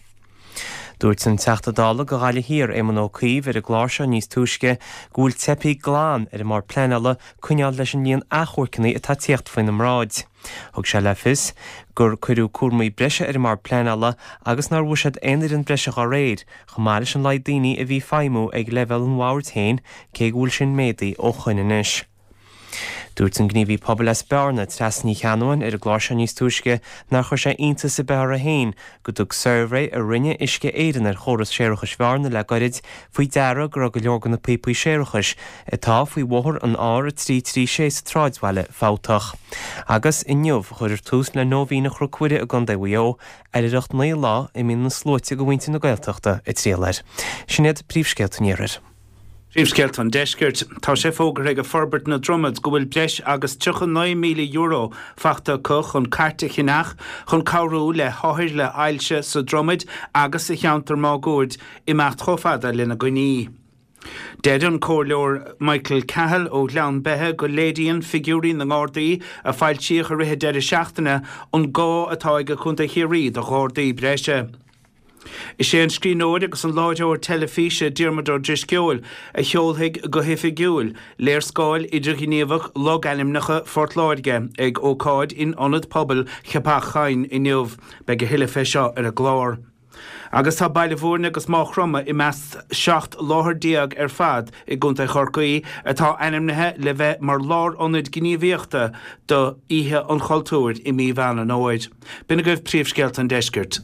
Dúirt an Teachta Dála do Ghaillimh Thiar, Éamon Ó Cuív, ar an gclár seo níos túisce go bhfuil teipthe glan ar an mBord Pleanála coinneáil leis an líon achomharcanna atá ag tíocht faoina mbráid. Thug sé le fios gur cuireadh cúramaí breise ar an mBord Pleanála agus nár bhuiséad aon fhoireann breise dá réir, chomh maith leis an laghad daoine a bhí ag feidhmiú ag leibhéal an bhoird féin, cé go bhfuil sin méadaithe ó shoin anois. Dúirt an gníomhaí pobail as Bearna, Treasa Ní Cheannabháin, ar an gclár seo níos túisce nár chuir sé iontas ar bith uirthi féin go dtug suirbhé a rinne Uisce Éireann ar chóras séarachais Bhearna le goirid faoi deara go raibh go leor de na píopaí séarachais atá faoi bhóthar an R336 sa tsráidbhaile fabhtach. Agus inniu a chuirfear tús le Nóibhíne Chnoc Mhuire i gContae Mhaigh Eo, oilithreacht 9 lá a mbíonn na sluaite de mhuintir na Gaeltachta ag triall air. Sin iad príomhscéalta an Iarthair. Príomhscéalta an Deiscirt. Tá sé fógartha ag Forbairt na Dromad go bhfuil breis agus €39,000 fachta acu chun cairt a cheannach chun cabhrú le hothair le hailse sa Dromaid agus sa cheantar máguaird imeacht chomh fada lena gcoinní. Deir an Comhairleoir Michael Cahill ó Ghleann Beithe go léiríonn figiúirí na nGardaí a foilsíodh i rith an deireadh seachtaine an gá atá ag Contae Chiarraí do Ghardaí breise. Is é an scríbhneoir agus an láithreoir teilifíse Diarmuid Ó Drisceoil a sheolfaidh go hoifigiúil léarscáil idirghníomhach logainmneacha Phort Láirge ag ócáid in Ionad Pobail Cheapach Choinn inniu. Beidh a thuilleadh fé seo ar an gclár. Agus tá Baile Bhúirne agus Máigh Chromtha i measc 17 láthair ar fad i gContae Chorcaí atá ainmnithe le bheith mar lárionaid gníomhaíochta do Oíche an Chultúir i mí Mheán an Fhómhair. B'in agaibh príomhscéalta an deiscirt.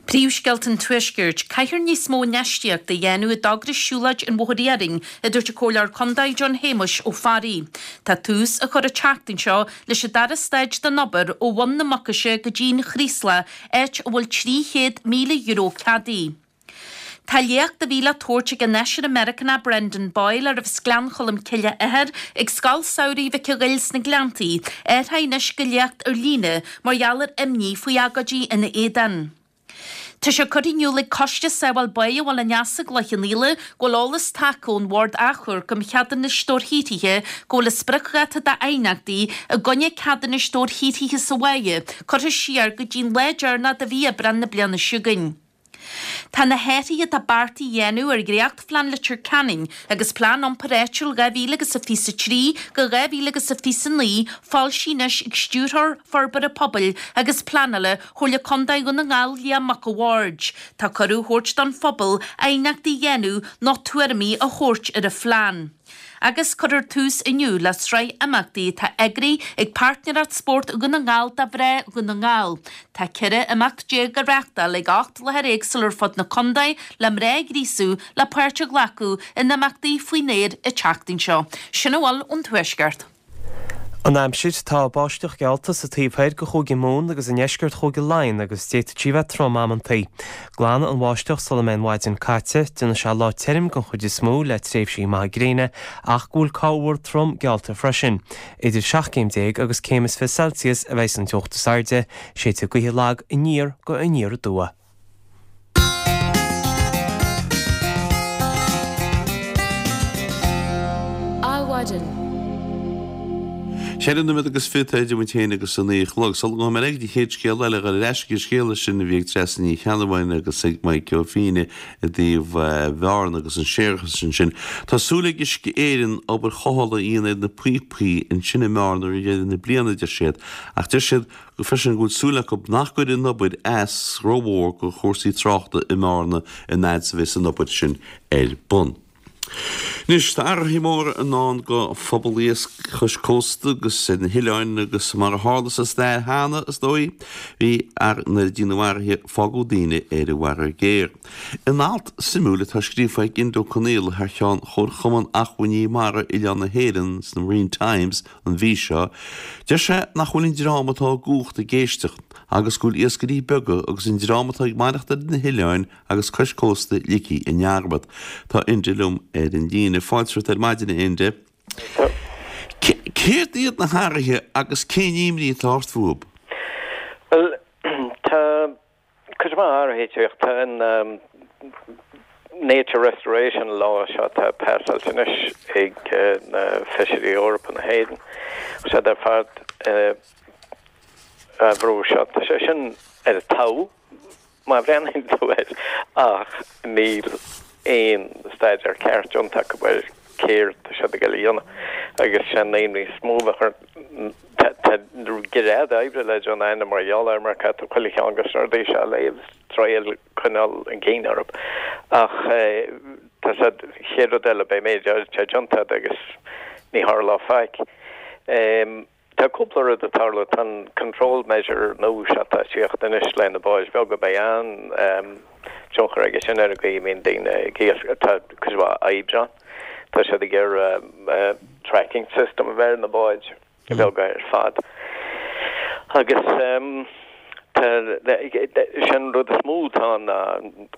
Príomhscéalta an Tuaiscirt. Caithfear níos mó infheistíochta a dhéanamh i dtogra Siúlóid an Bhóthair Iarainn, a dúirt an Comhairleoir Contae John Shéamuis Ó Fearraigh. Tá tús á chur an tseachtain seo leis an dara staid den obair ó Bhun na Mucaise go dtí'n Chraoslach, áit a bhfuil €300,000 ceadaithe. Tá léacht a bhí le tabhairt ag an fheisire Meiriceánach Brendan Boyle, arbh as Gleann Cholm Cille a athair, ag Scoil Samhraidh Mhic an Ghoill sna Gleanntaí, athraithe anois go léacht ar líne mar gheall ar imní faoi agóidí ina éadan. Tá sé curtha in iúl ag Coiste Sábháil Báighe Bhaile an Easa i gCloich Cheann Fhaola go bhfuil eolas tagtha ón Bhord Achomhairc um Cheadúnais Dobharshaothraithe go bhfuil a spriocdháta d'aighneachtaí i gcoinne ceadúnais dobharshaothraithe sa bháighe curtha siar go dtí'n lá deireanach de mhí Aibreán na bliana seo chugainn. Tá na hathruithe atá beartaithe a dhéanamh ar dhréachtphlean Leitir Ceanainn agus Plean Iompair Áitiúil 2000 agus a 23 go 2000 agus a 29 foilsithe anois ag Stiúrthóir Forbartha Pobail agus Pleanála Chomhairle Contae Dhún na nGall Liam Mac a' Bhaird. Tá cuireadh á thabhairt don phobal aighneachtaí a dhéanamh nó tuairimí a thabhairt ar an phlean. Agus cuirfear tús inniu le sraith imeachtaí atá eagraithe ag Páirtnéireacht Spóirt Dhún na nGall do mhná Dhún na nGall. Tá 14 imeacht á reáchtáil ag 8 láthair éagsúla ar fud na contae le mná a ghríosú le páirt a ghlacadh in imeachtaí faoin aer an tseachtain seo. Sin a bhfuil ón Tuaisceart. An aimsir, Tá báisteach geallta sa taobh thoir de Chúige Mumhan agus i ndeisceart Chúige Laighean agus d'fhéadfadh sí bheith trom amantaí. Glanfaidh an bháisteach sula mbeidh an mhaidin caite. Déanfaidh sé lá tirim den chuid is mó le tréimhsí maithe gréine ach go bhfuil corrmhúr trom geallta freisin. Idir 17 céim agus céim is 20 Celsius a bheidh an teocht is airde. Séidfidh gaotha lag aniar go aniar aduaidh. Adhmhaidin. Ceithre nóiméad agus fichead atá idir muid féin agus a naoi a chlog. Sula ngabhfaidh mé ar aghaidh don chéad scéal eile, dhul ar ais ag an scéal sin a bhí ag Treasa Ní Cheannabháin agus ag Mike Ó Fínne i dtaobh Bhearna agus an séarachas ansin. Tá súil ag Uisce Éireann obair chothabhála a dhéanamh ar na píopaí ansin i mBearna roimh dheireadh na bliana, deir siad. Ach deir siad go freisin go bhfuil súil acu nach gcuirfidh an obair as rómhór do chúrsaí tráchta i mBearna an fhad is a bheas an obair sin ar bun. Anois, tá athruithe móra i ndán do phobal iasc chois cósta agus ar na hoileáin agus mar a tharla sa stair cheana, is dóigh, bhí nuair a déanadh athruithe fágadh daoine ar an bhfarraige ghéar. In alt suimiúil atá scríofa ag Enda Ó Conaola thar cheann Chomharchumann Acmhainní Mara Oileán na hÉireann sna Marine Times an mhí seo, deir sé nach bhfuil an dream atá i gcumhacht ag éisteacht agus go bhfuil iascairí beaga agus an dream atá ag maireachtáil ar na hoileáin agus cois cósta ligthe i ndearmad. Tá Enda liom ar an líne. Fáilte romhat ar maidin, a Enda. Céard iad na hathruithe agus cén imní atá ort fúthu? Bhuel, tá Cuid mhaith athruithe ag teacht. Tá an Nature Restoration Law seo atá pasáilte anois ag na Feisirí Eorpa na hÉireann. Siad ar fad á bhrú seo. Tá sé sin ar an talamh má bhreathnaíonn tú air ach níl aon staidéar ceart déanta acu ar céard tá siad ag dul a dhéanamh agus sé an imní is mó a bheadh orm tá gread oibre le déanamh a'inn mar gheall air mar caithfidh tú chuile cheann de na rudaí seo a léamh is triail coinneáil an cinn orthu ach tá siad chéad rud eile beidh méid áirid déanta agat agus ní tharlóidh faic. Tá cúpla rud ag tarlú. Tá an control measure nua seo atá ag tíocht anois le na báid bheaga. Beidh an-tionchar aige sin ar an gcaoi a mbíonn daoine ag iascach. Tá cuid mhaith oibre ann. Tá siad ag iarraidh tracking system a bheith ar na báid bheaga ar fad. Agus tá, sin an rud is mó atá ann ná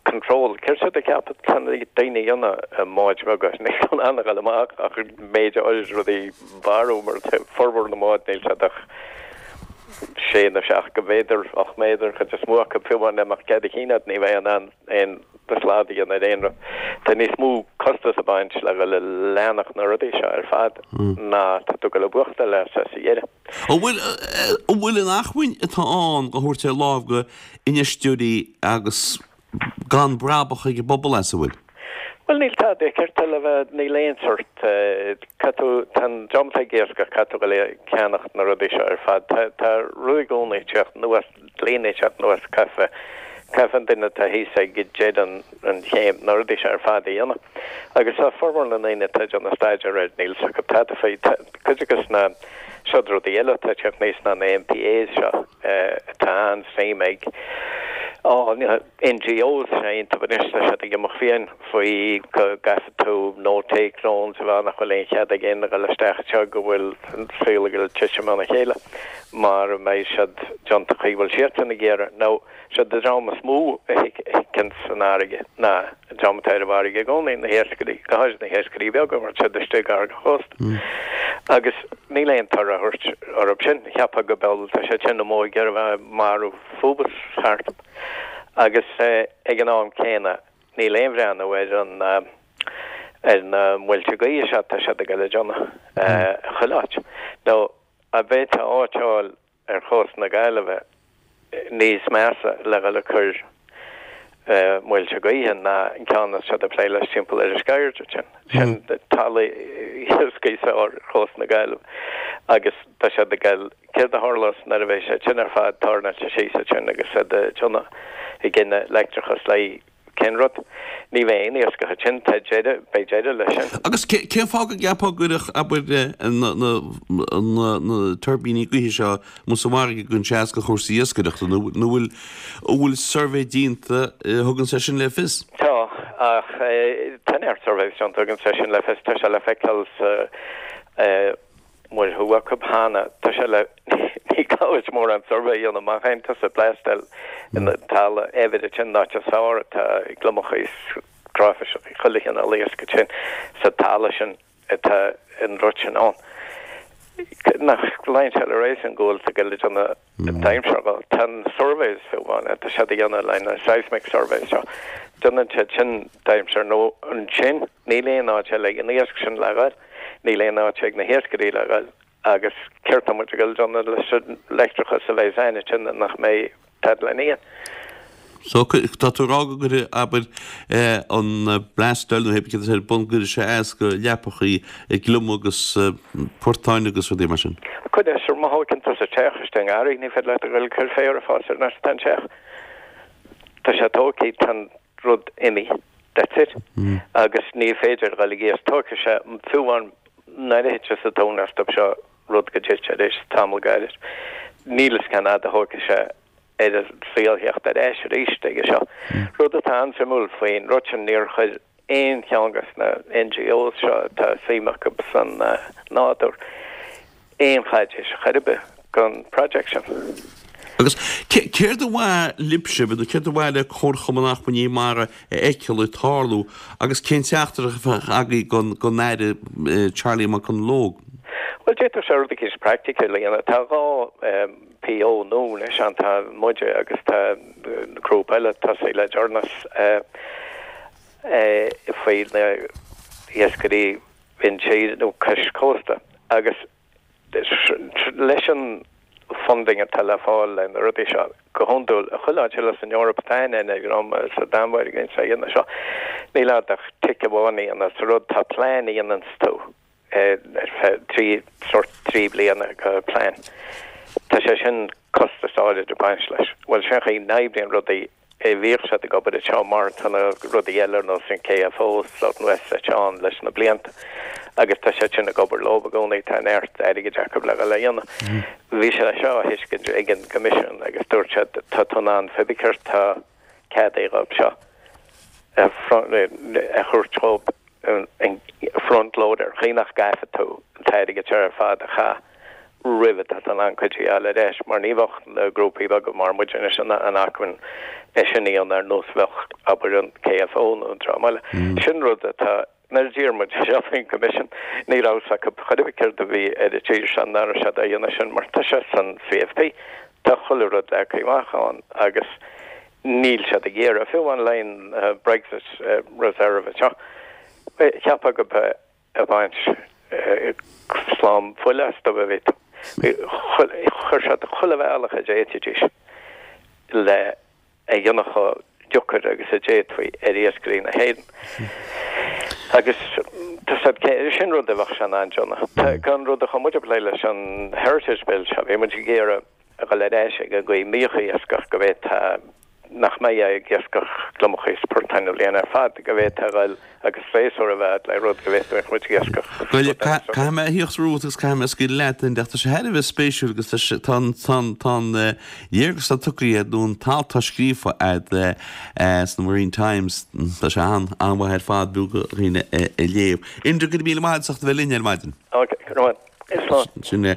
control. Céard tá siad ag ceapadh tá na daoine a dhéanamh i mbáid bheaga? Níl in ann a dhul amach ach méid áirid rudaí mharú mar formhór na mbád níl siad ach sé nó seacht go mhéadar, 8 méadar an chuid is mó acu, fiú amháin dá mbeadh cead a chinn agat ní bheifeá in ann aon slad a dhéanamh ar aon rud. Tá níos mó costas ag baint le dhul ag leanacht na rudaí seo ar fad ná tá tú ag dul a bhuachtáil as sa dheireadh. An bhfuil, an bhfuil an acmhainn atá ann a thabhairt ar láimh go infheisteoirí agus gan brabach ag an bpobal as, an bhfuil? Bhuel, níl tada ceart le bheith, níl aon sort, caithfidh tú, tá an dream atá ag iascach, caithfidh tú dhul ag ceannacht na rudaí seo ar fad. Tá, tá rudaí i gcónaí ag teacht anuas, dlíonnaí ag teacht anuas, caithfidh, caithfidh an duine atá thíos ag deireadh an, an chéim, na rudaí seo ar fad a dhéanamh. Agus tá formhór na ndaoine atá ag déanamh staidéar air, níl 's acu tada faoi. Tá cuid acu sna, seod rudaí eile atá ag teacht aníos ná na MPAs seo. Tá an-suim ag NGOs iontu anois, tá siad ag imeacht fiáin faoi go gcaithfidh tú no take zones a bheith ann nach bhfuil aon chead ag éinne a dhul isteach anseo go bhfuil an saol ag dul titim óna chéile mara mbeidh siad déanta chaoi bhfuil siadsan ag iarraidh. Now siad an dream is mó a thiocfaidh san fharraige ná an dream atá ar an bhfarraige i gcónaí, na hiascairí, go háirid na hiascairí beaga mar tá siad istigh gar don chósta. Agus níl aon toradh á thabhairt orthu sin. Cheapfá go b'eol, tá siad sin amuigh ag iarraidh a bheith ag marú fubus thart. Agus ag an am céanna níl aon bhreathnú ar an ar na muilte gaoithe seo atá siad ag dul a dhéanamh chuile áit. Nó an bhféadfá áit a fháil ar chósta na Gaillimhe níos measa le dhul ag cur muilte gaoithe ná an ceann atá siad ag plé leis timpeall ar an Sceirde sin. Sin talamh iascaigh ar chósta na Gaillimhe agus tá siad ag dul, céard a tharlós nuair a bheidh sé sin ar fad tairneáilte síos ansin agus iad ag déanamh, ag gineadh leictreachas le Cén rud? Ní bheidh aon iascach ansin, tá deireadh, beidh deireadh leis sin. Agus cén fáth go gceapfá go gcuirfeadh, abair, na tuirbíní gaoithe seo amuigh sa bhfarraige go gcuireann sé as do chúrsaí iascaireachta, nó an bhfuil, an bhfuil suirbhé déanta a thugann sé sin le fios? Tá, ach tá neart surveys déanta a thugann sé sin le fios, tá sé le feiceáil sa Muir Thuaidh acu cheana. Tá sé le, ní gá duit mórán suirbhé a dhéanamh má théann tusa ag bleastail in talamh eibhir ansin, an áit is fearr atá gliomachaí is cráifisí chuile chineál iasc ansin sa talamh sin atá an rud sin ann. Nach luíonn sé le réasún go bhfuil tú ag dul ag déanamh dainséar dhó. Tá na surveys fiú amháin atá siad a dhéanamh le na seismic surveys seo, déanann siad sin dainséar nó ansin níl aon áit eile ag an iasc sin le ghoil, níl aon áit ag na hiascairí le ghoil agus céard tá muid ag dul a dhéanamh leis an leictreachas a bheidh againn ansin nach mbeidh tada lena ithe. So, tá tú ag rá go gcuirfidh, abair, an blast oil nó pé céard atá ar bun, go gcuirfidh sé as do leapachaí gliomaigh agus portáin agus rudaí mar sin. Cuirfidh, sure, má thóigeann tusa teach istigh i ngarraí, ní féidir leat a dhul ag cur féar ag fás ar an áit atá an teach. Tá sé tógtha, tá an rud imithe, that's it. Agus ní féidir a dhul ag iasc, tógfaidh sé, fiú amháin nuair a thitfeas an tonn astu seo, rud go dtitfidh tar éis tamall gairid, níl fhios cén fhad a thógfaidh sé ar an saol theacht ar ais arís aige seo. Rud atá an-suimiúil faoin rud sin, níor chuir aon cheann de na NGOs seo atá suim acu san nádúr aon chaidéis chor ar bith don project sin. Agus céard ba mhaith libhse, nó céard ba mhaith le Comharchumann Acmhainní Mara a fheiceáil ag tarlú agus cén teachtaireacht a bheadh agaibh don Aire Charlie McConalogue? Bhuel, d'fhéadfadh sé rud eicínt praiticiúil a dhéanamh. Tá 2 PO nua anois ann, tá muide agus tá grúpa eile tosaithe le deireanas faoi na hiascairí intíre nó cois cósta agus leis an funding atá le fáil le na rudaí seo, go hiondúil, chuile áit eile san Eoraip tá aithne ag dream sa Danmhairg a dhéanann seo, níl a'd ach tic amháin a dhéanamh sa rud, tá plean a dhéananns tú. ar feadh 3, sórt 3 bliana go plean. Tá sé sin costas áirid ag baint leis. Bhuel, sin an chaoi a n-oibríonn rudaí, bhíodh siad ag obair anseo mar tá na rudaí eile ar nós an KFO, South and West Fletch ann leis na blianta agus tá siad sin ag obair leo i gcónaí, tá neart airgid acu le dhul a dhéanamh. Bhí sé seo á thuiscint ag an gCoimisiún agus dúirt siad tá tú in ann pé ar bith céard tá ceadaithe dhóibh seo a thabhairt dhóibh an front loader, chaoi nach gcaithfidh tú an t-airgead seo ar fad a chaith roimh atá tú in ann cuid a fháil ar ais, mar ní bheadh na grúpaí beaga mar muid anois in acmhainn é sin a dhéanamh ar nós bheadh, abair, an KFO nó an dream eile. Sin rud atá. Nuair a d'iarr muid seo faoin gCoimisiún, ní raibh fhios acu chor ar bith céard a bhí ar an tír seo, nach raibh siad á dhéanamh sin mar tá sé san CFP, tá chuile rud leagtha amach ann agus níl siad ag iarraidh, fiú amháin le an Brexit Reserve anseo, cheapfá go mbeadh ag baint slám fuile astu a bhí tú. Chuir siad chuile bhealach a d'fhéadfaidís le a dhéanamh chomh deacair agus a d'fhéadfaí ar iascairí na hÉireann. Agus tá siad, sin rud a bheadh sé in ann déanamh. Tá an rud a chuaigh muid ag plé leis an Heritage Bill seo, bhí muid ag iarraidh a dhul ar ais ag an gcaoi a mbíodh iascach go bhféadfá nach mbeifeá ag iascach gliomachaí is portáin an bhliain ar fad, go bhféadfá a dhul agus séasúr a bheith le rud go bhféadfadh muid iascach. Bhuel, caithfidh mé a thíocht romhat agus caithfidh mé scaoileadh leat, Enda, tá sé thar a bheith spéisiúil agus tá sé, tá an, tá an, tá an léargas atá tugtha agat nó an t-alt atá scríofa agat sna Marine Times, tá sé an, an-mhaith ar fad, b'fhiú do dhaoine é a léamh. Enda, go raibh míle maith agat as ucht a bheith linn ar maidin. Ok, go raibh maith. Slán. Sin é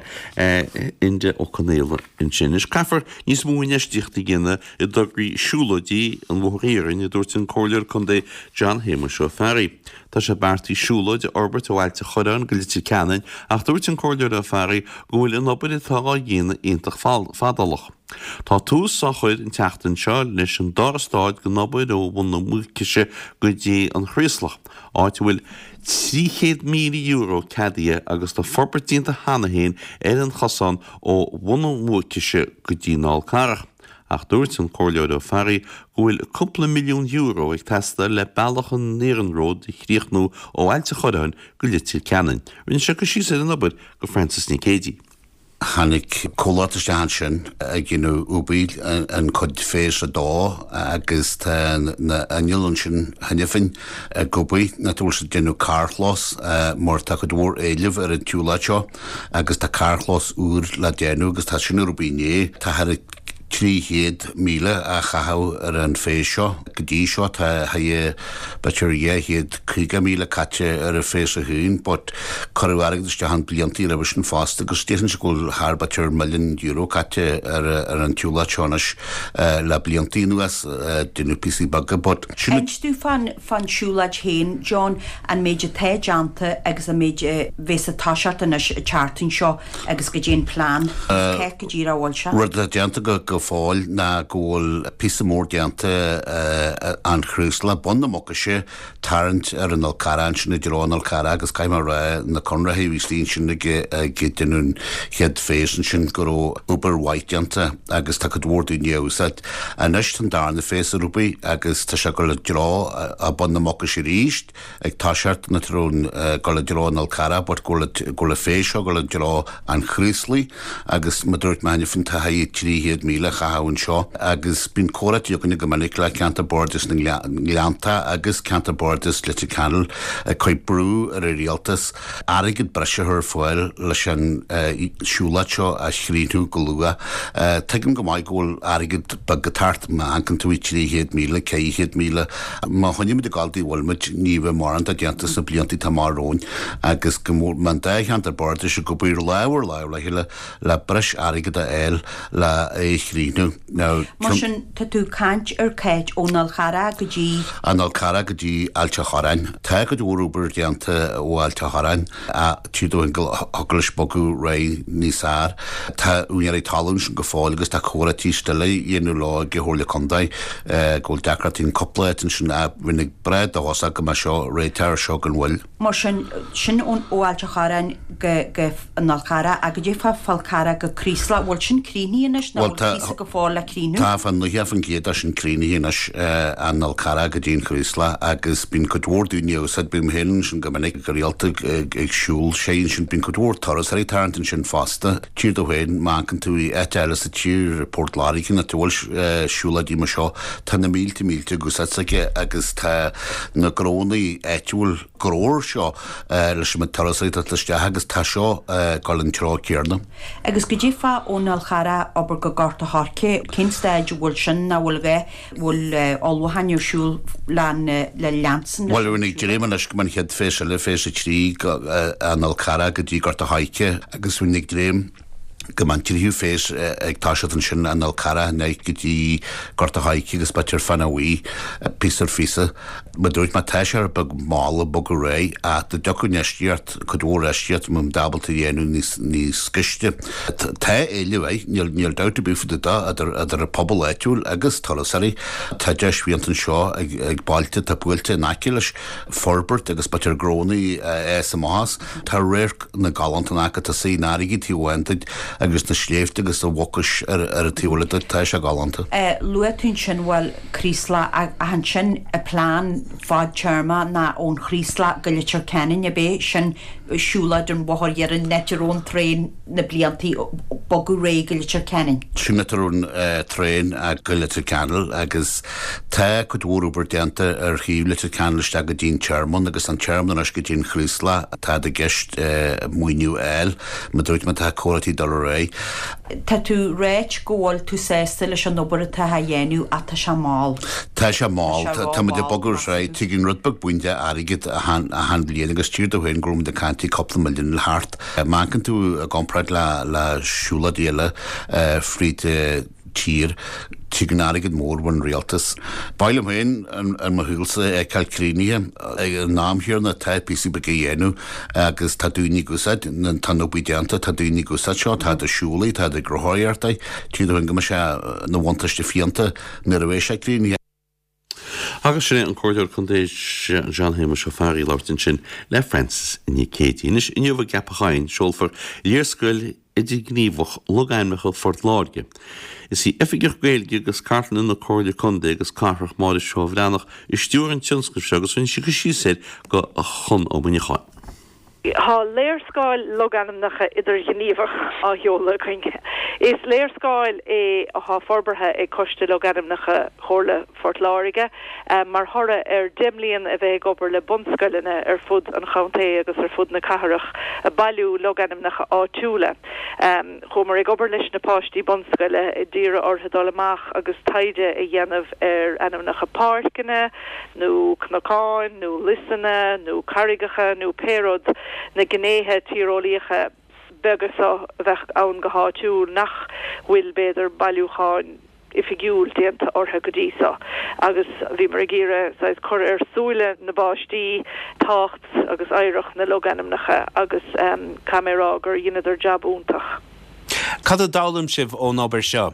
Enda Ó Conaola ansin. Anois caithfear níos mó infheistíochta a dhéanamh i dtograí siúlóidí an Bhóthair Iarainn, a dúirt an Comhairleoir Contae John Shéamuis Ó Fearraigh. Tá sé beartaithe siúlóid a fhorbairt ó Ailt a' Chorráin go Leitir Ceanainn ach dúirt an Comhairleoir Ó Fearraigh go bhfuil an obair atá á dhéanamh iontach fadálach. Tá tús á chur an tseachtain seo leis an dara stáid den obair ó Bhun na Mucaise go dtí an Chraoslach, áit a bhfuil €300,000 ceadaithe agus tá forbairt déanta cheana féin ar an chosán ó Bhun na Mucaise go dtí an Fhál Carrach. Ach dúirt an Comhairleoir Ó Fearraigh go bhfuil cúpla milliún euro ag teastáil le bealach an iarnróid a chríochnú ó Ailt a' Chorráin go Leitir Ceanainn. Rinne sé cur síos ar an obair do Frances Nic Géadaigh. Tháinig comhlacht isteach ansin ag déanamh obair an cuid phase 2 agus tá na innill ansin cheana féin ag obair nach bhfuil siad ag déanamh carrchlós mar tá cuid mhór éilimh ar an tsiúlóid seo agus tá carrchlós úr le déanamh agus tá sin ar obair inné. Tá thar 300,000 á chaitheamh ar an phase seo. Go dtí seo tá b'fhéidir 250,000 caite ar an phase 1 but cuireadh airgead isteach ann blianta roimhe sin fosta agus déarfainnse go bhfuil thar b'fhéidir milliún euro caite ar ar an tsiúlóid seo anois le blianta anuas. Déanamh píosaí beaga but sin Inis dúinn fán fán siúlóid féin, John, an méid atá déanta agus an méid a bheas ag toiseacht anois an tseachtain seo. Agus goidé an plean agus cá go díreach a bhfuil sé. Rud atá déanta go fóill ná go bhfuil píosa mór déanta an Chraoslach, Bun na Mucaise, tarraingt ar an Fhál Carrach ansin i dtreo an Fhál Carrach agus caithfidh mé a rá na conraitheoirí a bhí istigh ansin ag ag déanamh an chéad phase ansin go raibh obair mhaith déanta agus tá cuid mhór daoine á úsáid. Anois tá an darna phase ar obair agus tá sé ag dul i dtreo Bun na Mucaise arís. ag toiseacht na treo dul i dtreo an Fhál Carrach but go bhfuil an phase seo ag dul i dtreo an Chraoslaigh agus mar dúirt mé cheana féin tá 300,000 á chaitheamh anseo agus bíonn comhráití againne go minic le Ceantar Bardais na nGleannta agus Ceantar Bardais Leitir Ceanainn ag cur brú ar an rialtas airgead breise a chur ar fáil leis an siúlóid seo a chríochnú go luath. Tuigim go maith go bhfuil airgead beag ag teacht, má amharcann tú 300,000, 400,000, má choinnímid ag gabháil dár bhfuil muid, ní bheidh mórán de déanta sna blianta atá amach romhainn agus go mbeadh an dá cheantar bardais ag obair lámh ar lámh le chéile le breis airgid a fháil le é a chríochnú. Now, Mar sin, tá tú ag caint ar Cáit ón Fhál Charrach go dtí. An Fhál Carrach go dtí Ailt a' Chorráin. Tá cuid mhór obair déanta ó Ailt a' Chorráin ach tchí tú go thiocfadh leis bogadh ar aghaidh níos fearr. Tá úinéirí talún ansin go fóill agus tá comhráití still á dhéanamh leo ag an Chomhairle Contae go bhfuil deacrachtaí in cúpla áit ansin ach bheinn ag breith dóchasach go mbeidh seo réitithe ar seo gan mhoill. Mar sin, sin ó Ailt a' Chorráin go go an Fhál Charrach ach goidé fá Fál Carrach go Craoslach, bhfuil sin críochnaithe anois nó bhfuil píosa go fóill le críochnú? Tá fá 90% de sin críochnaithe anois, an Fhál Carrach go dtí an Chraoslach agus bíonn cuid mhór daoine á úsáid, bím féin ansin go minic go rialta ag siúl sé ansin, bíonn cuid mhór turasóirí ag tarraingt ansin fosta. Tchíthear domh féin, má amharcann tú i áit eile sa tír, Port Láirge, áit a bhfuil siúlóidí mar seo, tá na mílte mílte ag úsáid s'aige agus tá na gnónnaí áitiúil gnóthach seo leis an méid turasóirí atá ag dul isteach agus tá seo ag dul an treo céarna. Agus goidé fá ón Fhál Charrach abair go Gort a' Choirce, cén staid a bhfuil sin, ná bhfuil a bhfuil ullmhúcháin ar siúl le leanstan leis Bhuel, an ag dréim anois go mbeidh an chéad phase eile, phase 3, an Fhál Carrach go dtí Gort a' Choirce agus bhí ag dréim go mbeidh an tríú phase ag toiseacht ansin, an Fhál Carrach anois go dtí Gort a' Choirce agus b'fhéidir Fána Bhuí, píosa ar phíosa. Mar dúirt mé, tá sé rud beag mall ag bogadh ar aghaidh ach dá dtiocfadh infheistíocht, cuid mhór infheistíocht, mbeadh muid ábalta a dhéanamh níos, níos gaiste. Tá éileamh air, níl, níl dabht ar bith faoi de, idir, idir an pobal áitiúil agus turasóirí. Tá deis iontach anseo ag, ag bailte atá buailte in aice leis forbairt agus b'fhéidir gnónnaí a fhás amach as. Tá radharc na galánta in aice, tá an fharraige taobh amháin duit agus na sléibhte agus an Mhucais ar, ar an taobh eile duit, tá sé galánta. Luaigh tú ansin, bhuel, Craoslach ach ansin an plean fadtéarma ná ón Chraoslach go Leitir Ceanainn ab é sin siúlóid an Bhóthair Iarainn an áit a raibh an traein na blianta bogadh ar aghaidh go Leitir Ceanainn. Sin áit a raibh an traein go Leitir Ceanainn agus tá cuid mhór obair déanta ar thaobh Leitir Ceanainn isteach go dtí an tearmann agus an tearmann anois go dtí an Chraoslach atá i gceist maoiniú a fháil. Mar dúirt mé tá comhráití ag dul ar aghaidh. Tá tú ráit go bhfuil tú sásta leis an obair atá á dhéanamh ach tá sé mall. Tá sé mall. Tá muid ag bogadh ar aghaidh. Tagann rud beag buan de airgead achan bhliain agus tchíthear domh féin go raibh muid ag caint faoi cúpla milliún le thart. Má amharcann tú i gcomparáid le siúlóidí eile fríd tír. Tigeann airgead mór ón rialtas. Ba mhaith liom féin in mo shaolsa é a fheiceáil críochnaithe. Ag an am chéanna tá píosaí beaga á dhéanamh agus tá daoine ag úsáid, tá an obair déanta, tá daoine ag úsáid seo, táid ag siúl é, táid ag rothaíocht é. Tchí tú féin go mbeidh sé ina bhuntáiste fiúntach nuair a bheidh sé críochnaithe. Agus sin é an Comhairleoir Contae John Shéamuis Ó Fearraigh ag labhairt ansin le Frances Nic Géadaigh. Anois, inniu i gCeapach Eidhinn, seolfar Léarscáil Idirghníomhach Logainmneacha Phort Láirge. Is í Oifigeach Gaeilge agus Cartlainne na Comhairle Contae agus Cathrach, Máire Seó Bhreathnach, a stiúir an tionscnamh seo agus rinne sí cur síos air do Chon Ó Muineacháin. Tá léarscáil logainmneacha idirghníomhach á sheoladh againn. Is léarscáil é atá forbartha ag Coiste Logainmneacha Chomhairle Phort Láirge mar thoradh ar 10 mbliana a bheith ag obair le bunscoileanna ar fud an chontae agus ar fud na cathrach ag bailiú logainmneacha áitiúla. Chuamar ag obair leis na páistí bunscoile, ag iarraidh orthu dul amach agus taighde a dhéanamh ar ainmneacha páirceanna, nó cnocáin, nó liosanna, nó carraigeacha, nó pé rud, na gnéithe tíreolaíocha beaga so a bheadh ann go háitiúil nach bhfuil, b'fhéidir, bailiúcháin oifigiúil déanta orthu go dtí so. Agus bhíomar ag iarraidh saghas cur ar súile na bpáistí tábhacht agus oidhreacht na logainmneacha agus caithfidh mé a rá gur dheineadar jab iontach. Cad a d'fhoghlaim sibh ón obair seo?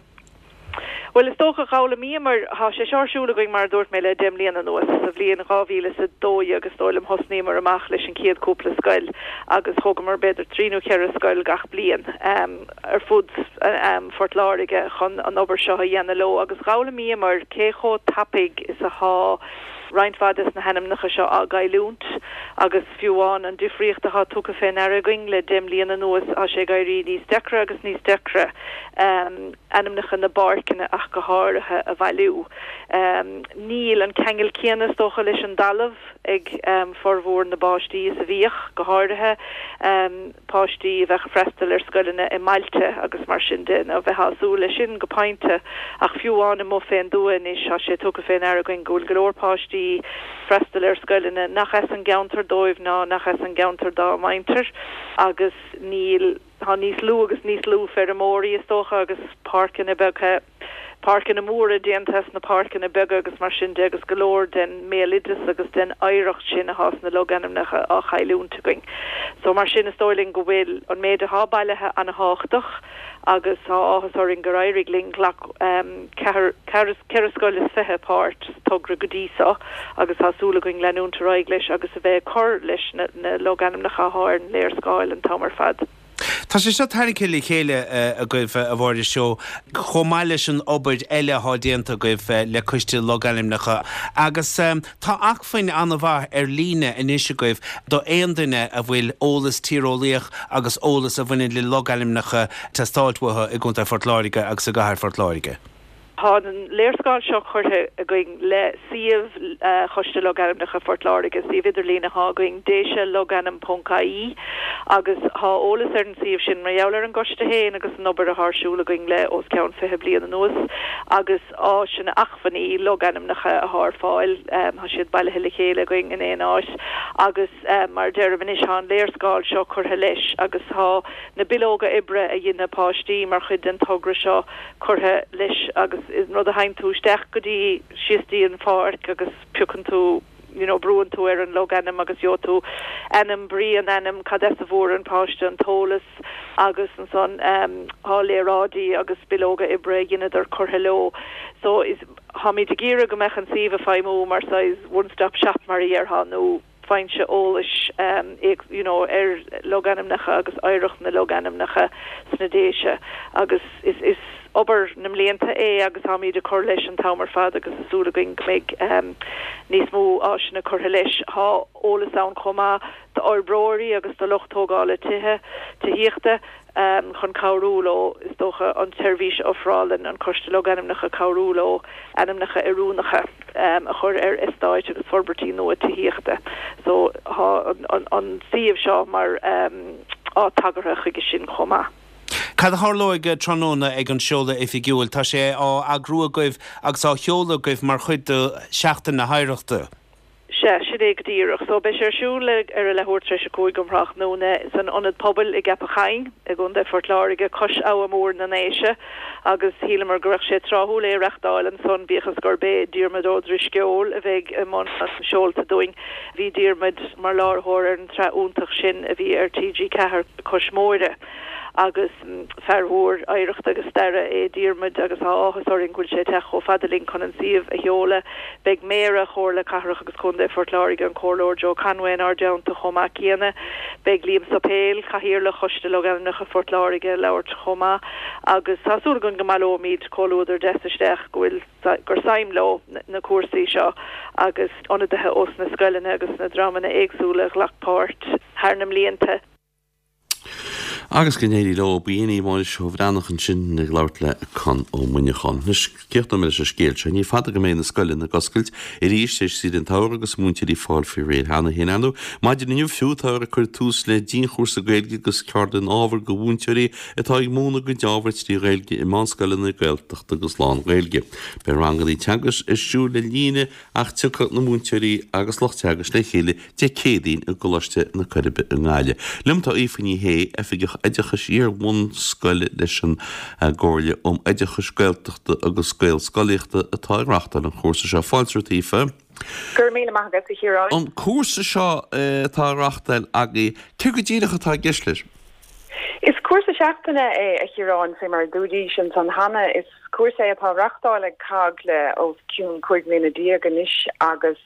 Bhuel, is dócha, dh'fhoghlaimíomar, tá sé seo ar siúl againn, mar a dúirt mé, le deich mbliana anuas. Sa bhliain 2012, is dóigh liom, thosnaíomar amach leis an chéad cúpla scoil agus thógamar b'fhéidir trí nó cheithre scoil gach bliain ar fud Phort Láirge chun an obair seo a dhéanamh leo agus dh'fhoghlaimíomar cé chomh tapaidh is athá roinnt mhaith des na hainmneacha seo á gcailliúint agus fiú amháin an difríocht athá tugtha fé ndeara againn le deich mbliana anuas, tá sé ag éirí níos deacra agus níos deacra. ainmneacha na bpáirceanna ach go háirithe, a bhailiú. Níl an ceangal céanna, is dócha, leis an dtalamh ag formhór na bpáistí is a bhíodh, go háirithe páistí a bheadh ag freastal ar scoileanna i mbailte agus mar sin de, nó bheifeá ag súil leis sin go pointe. Ach fiú amháin amuigh fén dtuath anois, tá sé tugtha fé ndeara againn go bhfuil go leor páistí ag freastal ar scoileanna nach as an gceantar dóibh ná nach as an gceantar dá muintir agus níl Tá níos lú agus níos lú feirmeoirí, is dócha, agus páirceanna beaga, páirceanna móra déanta as na páirceanna beaga agus mar sin de agus go leor den mbéaloideas agus den oidhreacht sin atá sna logainmneacha á chailliúint againn. So mar sin is dóigh linn go bhfuil an méid atá bailithe ana-thábhachtach agus tá áthas orainn gur éirigh linn. Ghlac ceathair, ceithre scoil is fiche páirt sa togra go dtí so agus tá súil againn leanúint ar aghaidh leis agus a bheith ag cur leis na logainmneacha atá ar an léarscáil an t-am ar fad. Tá sé seo tarraingthe le chéile agaibh, a Mháire Seó, chomh maith leis an obair eile atá déanta agaibh le Coiste Logainmneacha agus tá acmhainn an-mhaith ar líne anois agaibh do aon duine a bhfuil eolas tíreolaíoch agus eolas a bhaineann le logainmneacha ag teastáilt uathu i gContae Phort Láirge agus i gCathair Phort Láirge. Tá an léarscáil seo curtha againn le suíomh Choiste Logainmneacha Phort Láirge, suíomh idirlín atá againn, déiselogainm ponc ie, agus tá eolas ar an suíomh sin mar gheall ar an gcoiste féin agus an obair atá ar siúl againn le os cionn 20 bliain anuas agus áiseanna, acmhainní logainmneacha atá ar fáil. Tá siad bailithe le chéile againn in aon áit agus mar a deirim anois tá an léarscáil seo curtha leis agus tá na bileoga oibre a dhein na páistí mar chuid den togra seo curtha leis agus is rud a théann tú isteach go dtí, síos dtí an pháirc agus piocann tú you know brúann tú ar an logainm agus gheobhaidh tú ainm, brí an ainm, cad as a bhfuair an páiste an t-eolas agus ansan tá léaráidí agus bileoga oibre a dheineadar curtha leo. So is, táimid ag iarraidh go mbeadh an suíomh ag feidhmiú mar saghas one stop shop mar a dhéarfá nó foinse eolais you know ar logainmneacha agus oidhreacht na logainmneacha sna Déise agus is is obair na mblianta é agus táimid ag cur leis an t-am ar fad agus tá súil againn go mbeidh níos mó áiseanna curtha leis. Tá eolas ann chomh maith d'fhorbróirí agus do lucht tógála tithe, tithíochta. chun cabhrú leo, is dócha, an tseirbhís a ofrálann an Coiste Logainmneacha, cabhrú leo ainmneacha oiriúnacha a chur ar eastáit agus forbairtí nua tithíochta. So, tá an suíomh seo mar áit tagartha chuige sin chomh maith. Cad a tharlóidh tráthnóna ag an seoladh oifigiúil? Tá sé á eagrú agaibh agus á sheoladh agaibh mar chuid de Sheachtain na hOidhreachta. Sea. Sea, sin é go díreach. So, beidh sé ar siúl ar a leathuair tar éis a 5 um thráthnóna san Ionad Pobail i gCeapach Choinn i gContae Phort Láirge, cois Abha Mór na nDéise, agus shíleamar go raibh sé tráthúil é a reachtáil ansan, bíodh is gurb é Diarmuid Ó Drisceoil a bheidh i mbun an seolta dúinn. Bhí Diarmuid mar láithreoir ar an tsraith iontach sin a bhí ar TG4, Cois Móire. Agus fear mhór oidhreachta agus staire é Diarmuid agus tá áthas orainn go bhfuil sé ag teacht chomh fada linn chun an suíomh a sheoladh. Beidh Méara Chomhairle Cathrach agus Contae Phort Láirge, an Comhairleoir Joe Conway inár dteannta chomh maith céanna. Beidh Liam Suipéil, Cathaoirleach Choiste Logainmneacha Phort Láirge ag labhairt chomh maith agus tá súil againn go mbaileoimid comhluadar deas isteach go bhfuil gur suim leo na cúrsaí seo agus ionadaithe ós na scoileanna agus na dreamanna éagsúla a ghlac páirt thar na mblianta. Agus go n-éirí leo. B'in í Máire Ó Bhreathnach ansin ag labhairt le Conn Ó Muineacháin. Anois, críochnóidh mé leis an scéal seo. Ní fada go mbeidh na scoileanna ag oscailt arís tar éis saoire an tsamhraidh agus múinteoirí ag fáil faoi réir cheana féin. Ar ndóigh, maidin inniu fiú, táthar ag cur tús le dianchúrsa Gaeilge agus ceardlann ábhair do mhúinteoirí atá ag múineadh a gcuid ábhar trí Ghaeilge i meánscoileanna Gaeltachta agus lán-Ghaeilge. Beidh ranganna teagaisc ar siúl ar líne ach tiocfaidh na múinteoirí agus lucht teagaisc le chéile Dé Céadaoin i gColáiste na Coiribe i nGaillimh. Liom tá Aoife Ní Shé, Oifigeach Oideachais Iar-bhunscoile leis an gComhairle um Oideachais Gaeltachta agus Gaelscolaíochta atá ag reáchtáil an chúrsa seo. Fáilte romhat Aoife. Go raibh míle maith agat, a Chiaráin. An cúrsa seo atá á reáchtáil agaibh, céard go díreach atá i gceist leis? Is cúrsa seachtaine é, a Chiaráin, fé mar a dúraís ansan cheana. Is cúrsa é atá á reáchtáil ag COGG le os cionn 15 mbliana anois agus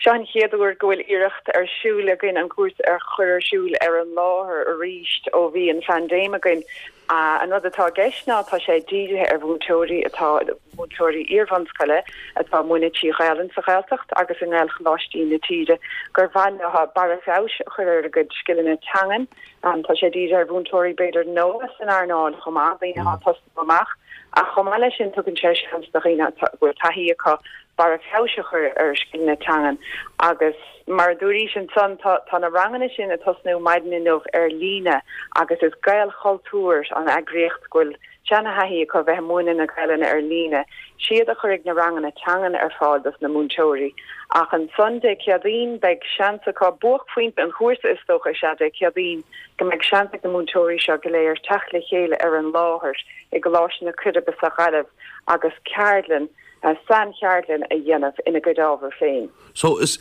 seo an chéad uair go bhfuil iarracht ar siúl againn an cúrsa a chur ar siúl ar an láthair arís ó bhí an phaindéim againn. An rud atá i gceist ná tá sé dírithe ar mhúinteoirí atá, múinteoirí iarbhunscoile atá ag múineadh trí Ghaelainn sa Ghaeltacht agus i nGaelcholáistí na tíre gur mhaith leo barra feabhais a chur ar a gcuid scileanna teangan. Tá sé dírithe ar mhúinteoirí b'fhéidir nua san earnáil chomh maith, daoine atá ag tosnú amach, ach chomh maith leis sin tugann sé seans do dhaoine a bhfuil taithí acu barra feabhais a chur ar a scileanna teangan agus mar a dúraís ansan tá tá na ranganna sin ag tosnú maidin inniu ar líne agus is Gaelchultúr an eagraíocht go bhfuil seana-thaithí acu bheith ag múineadh na Gaelainne ar líne, siad a chuirfidh na ranganna teangan ar fáil dos na múinteoirí. Ach ansan Dé Céadaoin beidh seans acu, buaicphointe an chúrsa is dócha is ea Dé Céadaoin, go mbeidh seans ag na múinteoirí seo go léir teacht le chéile ar an láthair i gColáiste na Coiribe sa Ghaillimh agus ceardlann, saincheardlann a dhéanamh ina gcuid ábhar féin. So is,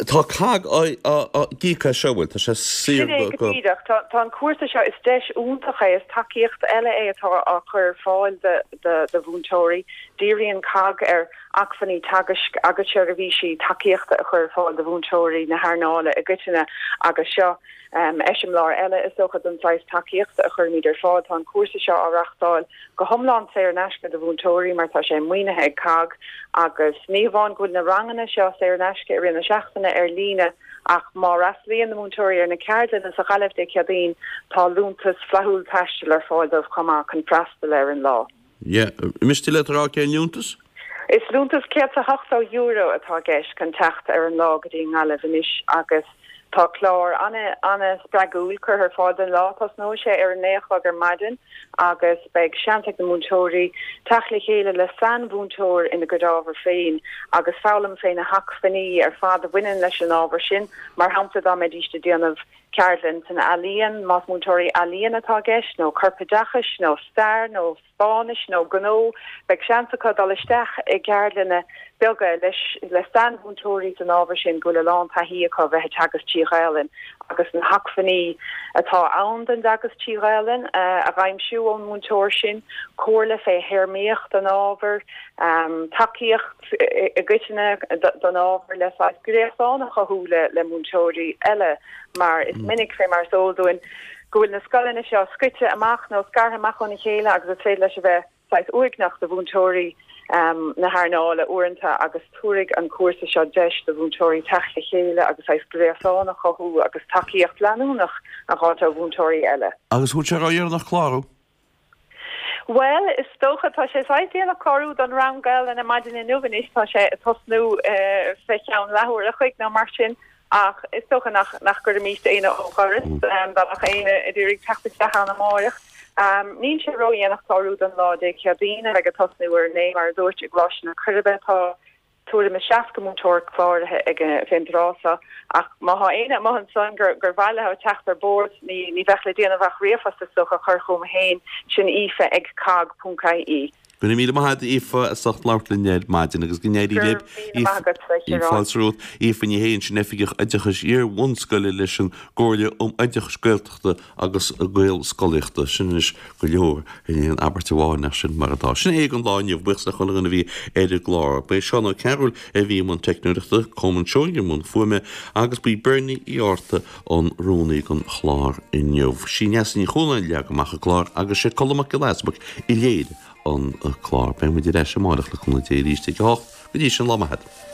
tá COGG ag íoc as seo, bhfuil? Tá sé saor Sin é go, go go. díreach. Tá, tá an cúrsa seo, is deis iontach é, is tacaíocht eile é atá á chur ar fáil do, do, do mhúinteoirí. Díríonn COGG ar acmhainní teagaisc agus seirbhísí tacaíochta a chur ar fáil do mhúinteoirí na hearnála i gcoitinne agus seo eiseamláir eile, is dócha, den saghas tacaíochta a chuirimid ar fáil. Tá an cúrsa seo á reáchtáil go hiomlán saor in aisce do mhúinteoirí mar tá sé maoinithe ag COGG agus ní hamháin go bhfuil na ranganna seo saor in aisce i rith na seachtaine ar líne ach má fhreastalaíonn na múinteoirí ar na ceardlanna sa Ghaillimh Dé Céadaoin tá liúntas flaithiúil taistil ar fáil dóibh chomh maith chun freastal ar an lá. Yeah. Miste leat a rá cén liúntas? Is liúntas €180 atá i gceist chun teacht ar an lá go dtí an nGaillimh anois agus tá clár an-spreagúil curtha ar fáil don lá. Tosnóidh sé ar a naoi a chlog ar maidin agus beidh seans ag na múinteoirí teacht le chéile le sainmhúinteoir ina gcuid ábhar féin agus foghlaim fé na hacmhainní ar fad a bhaineann leis an ábhar sin. Mar shampla, dá mbeidíst ag déanamh ceardlann san ealaíon, más múinteoirí ealaíon atá i gceist, nó corpoideachais, nó stair, nó Spáinnis nó gnó, beidh seans acu dul isteach i gceardlanna beaga leis le sainmhúinteoirí san ábhar sin go bhfuil a lán taithí acu bheith ag teagasc trí Ghaelainn agus na hacmhainní atá ann don dteagasc trí Ghaelainn a dh'aimsiú ón múinteoir sin, comhairle fé théarmaíocht an ábhair, tacaíocht i gcoitinne don ábhar le saghas gréasán a chothú le múinteoirí eile mar is minic, fé mar is eol dúinn, go bhfuil na scoileanna seo scoite amach nó scartha amach óna chéile agus is féidir leis a bheith saghas uaigneach do mhúinteoirí na hearnála uaireanta agus tabharfaidh an cúrsa seo deis do mhúinteoirí teacht le chéile agus saghas gréasán a chothú agus tacaíocht leanúnach a dh'fháilt ó mhúinteoirí eile. Agus bhfuil sé ródheireanach clárú? Bhuel, is dócha, tá sé saghas déanach clárú don rang Gaelainne maidin inniu anois, tá sé ag tosnú fé cheann leathuair a chloig nó mar sin, ach is dócha nach nach gcuirfimíst éinne ó dhoras, dá mbeadh éinne ag iarraidh teacht isteach ann amáireach. Níl sé ródhéanach clárú don lá Dé Céadaoin, a bheidh ag tosnú ar a naoi, mar a dúirt, i gColáiste na Coiribe. Tá. tuairim is 60 múinteoir cláraithe ag fén dtráth seo ach má thá éinne amuigh ansan gur gur mhaith leo teacht ar bord ní ní bheadh le déanamh ach ríomhphost is dócha a chur chugam féin, sin aoife ag cogg ponc ie. Go raibh míle maith agat Aoife as ucht labhairt linn ar maidin agus go n-éirí Go libh. raibh míle maith agatsa a Chiaráin. Fáilte romhat. Aoife Ní Shé ansin Oifigeach Oideachais Iar-bhunscoile leis an gComhairle um Oideachas Gaeltachta agus Gaelscolaíochta. Sin anois go leor in aon abairt amháin ach sin mar atá. Sin é don lá inniu. Buíochas le chuile dhuine a bhí ar an gclár. Ba é Seán Ó Cearúil a bhí i mbun teicneoireachta, Colmán Seoighe i mbun fuaime agus ba í Bernie Uí Fhátharta an rúnaí don chlár inniu. Sí Neasa Ní Chualáin a leag amach an clár agus sé Colm Mac Giolla Easbuic a léirigh an clár. Beidh muid ar ais amárach le cúnamh Dé arís ag a hocht. Go dtí sin, lá maith a't.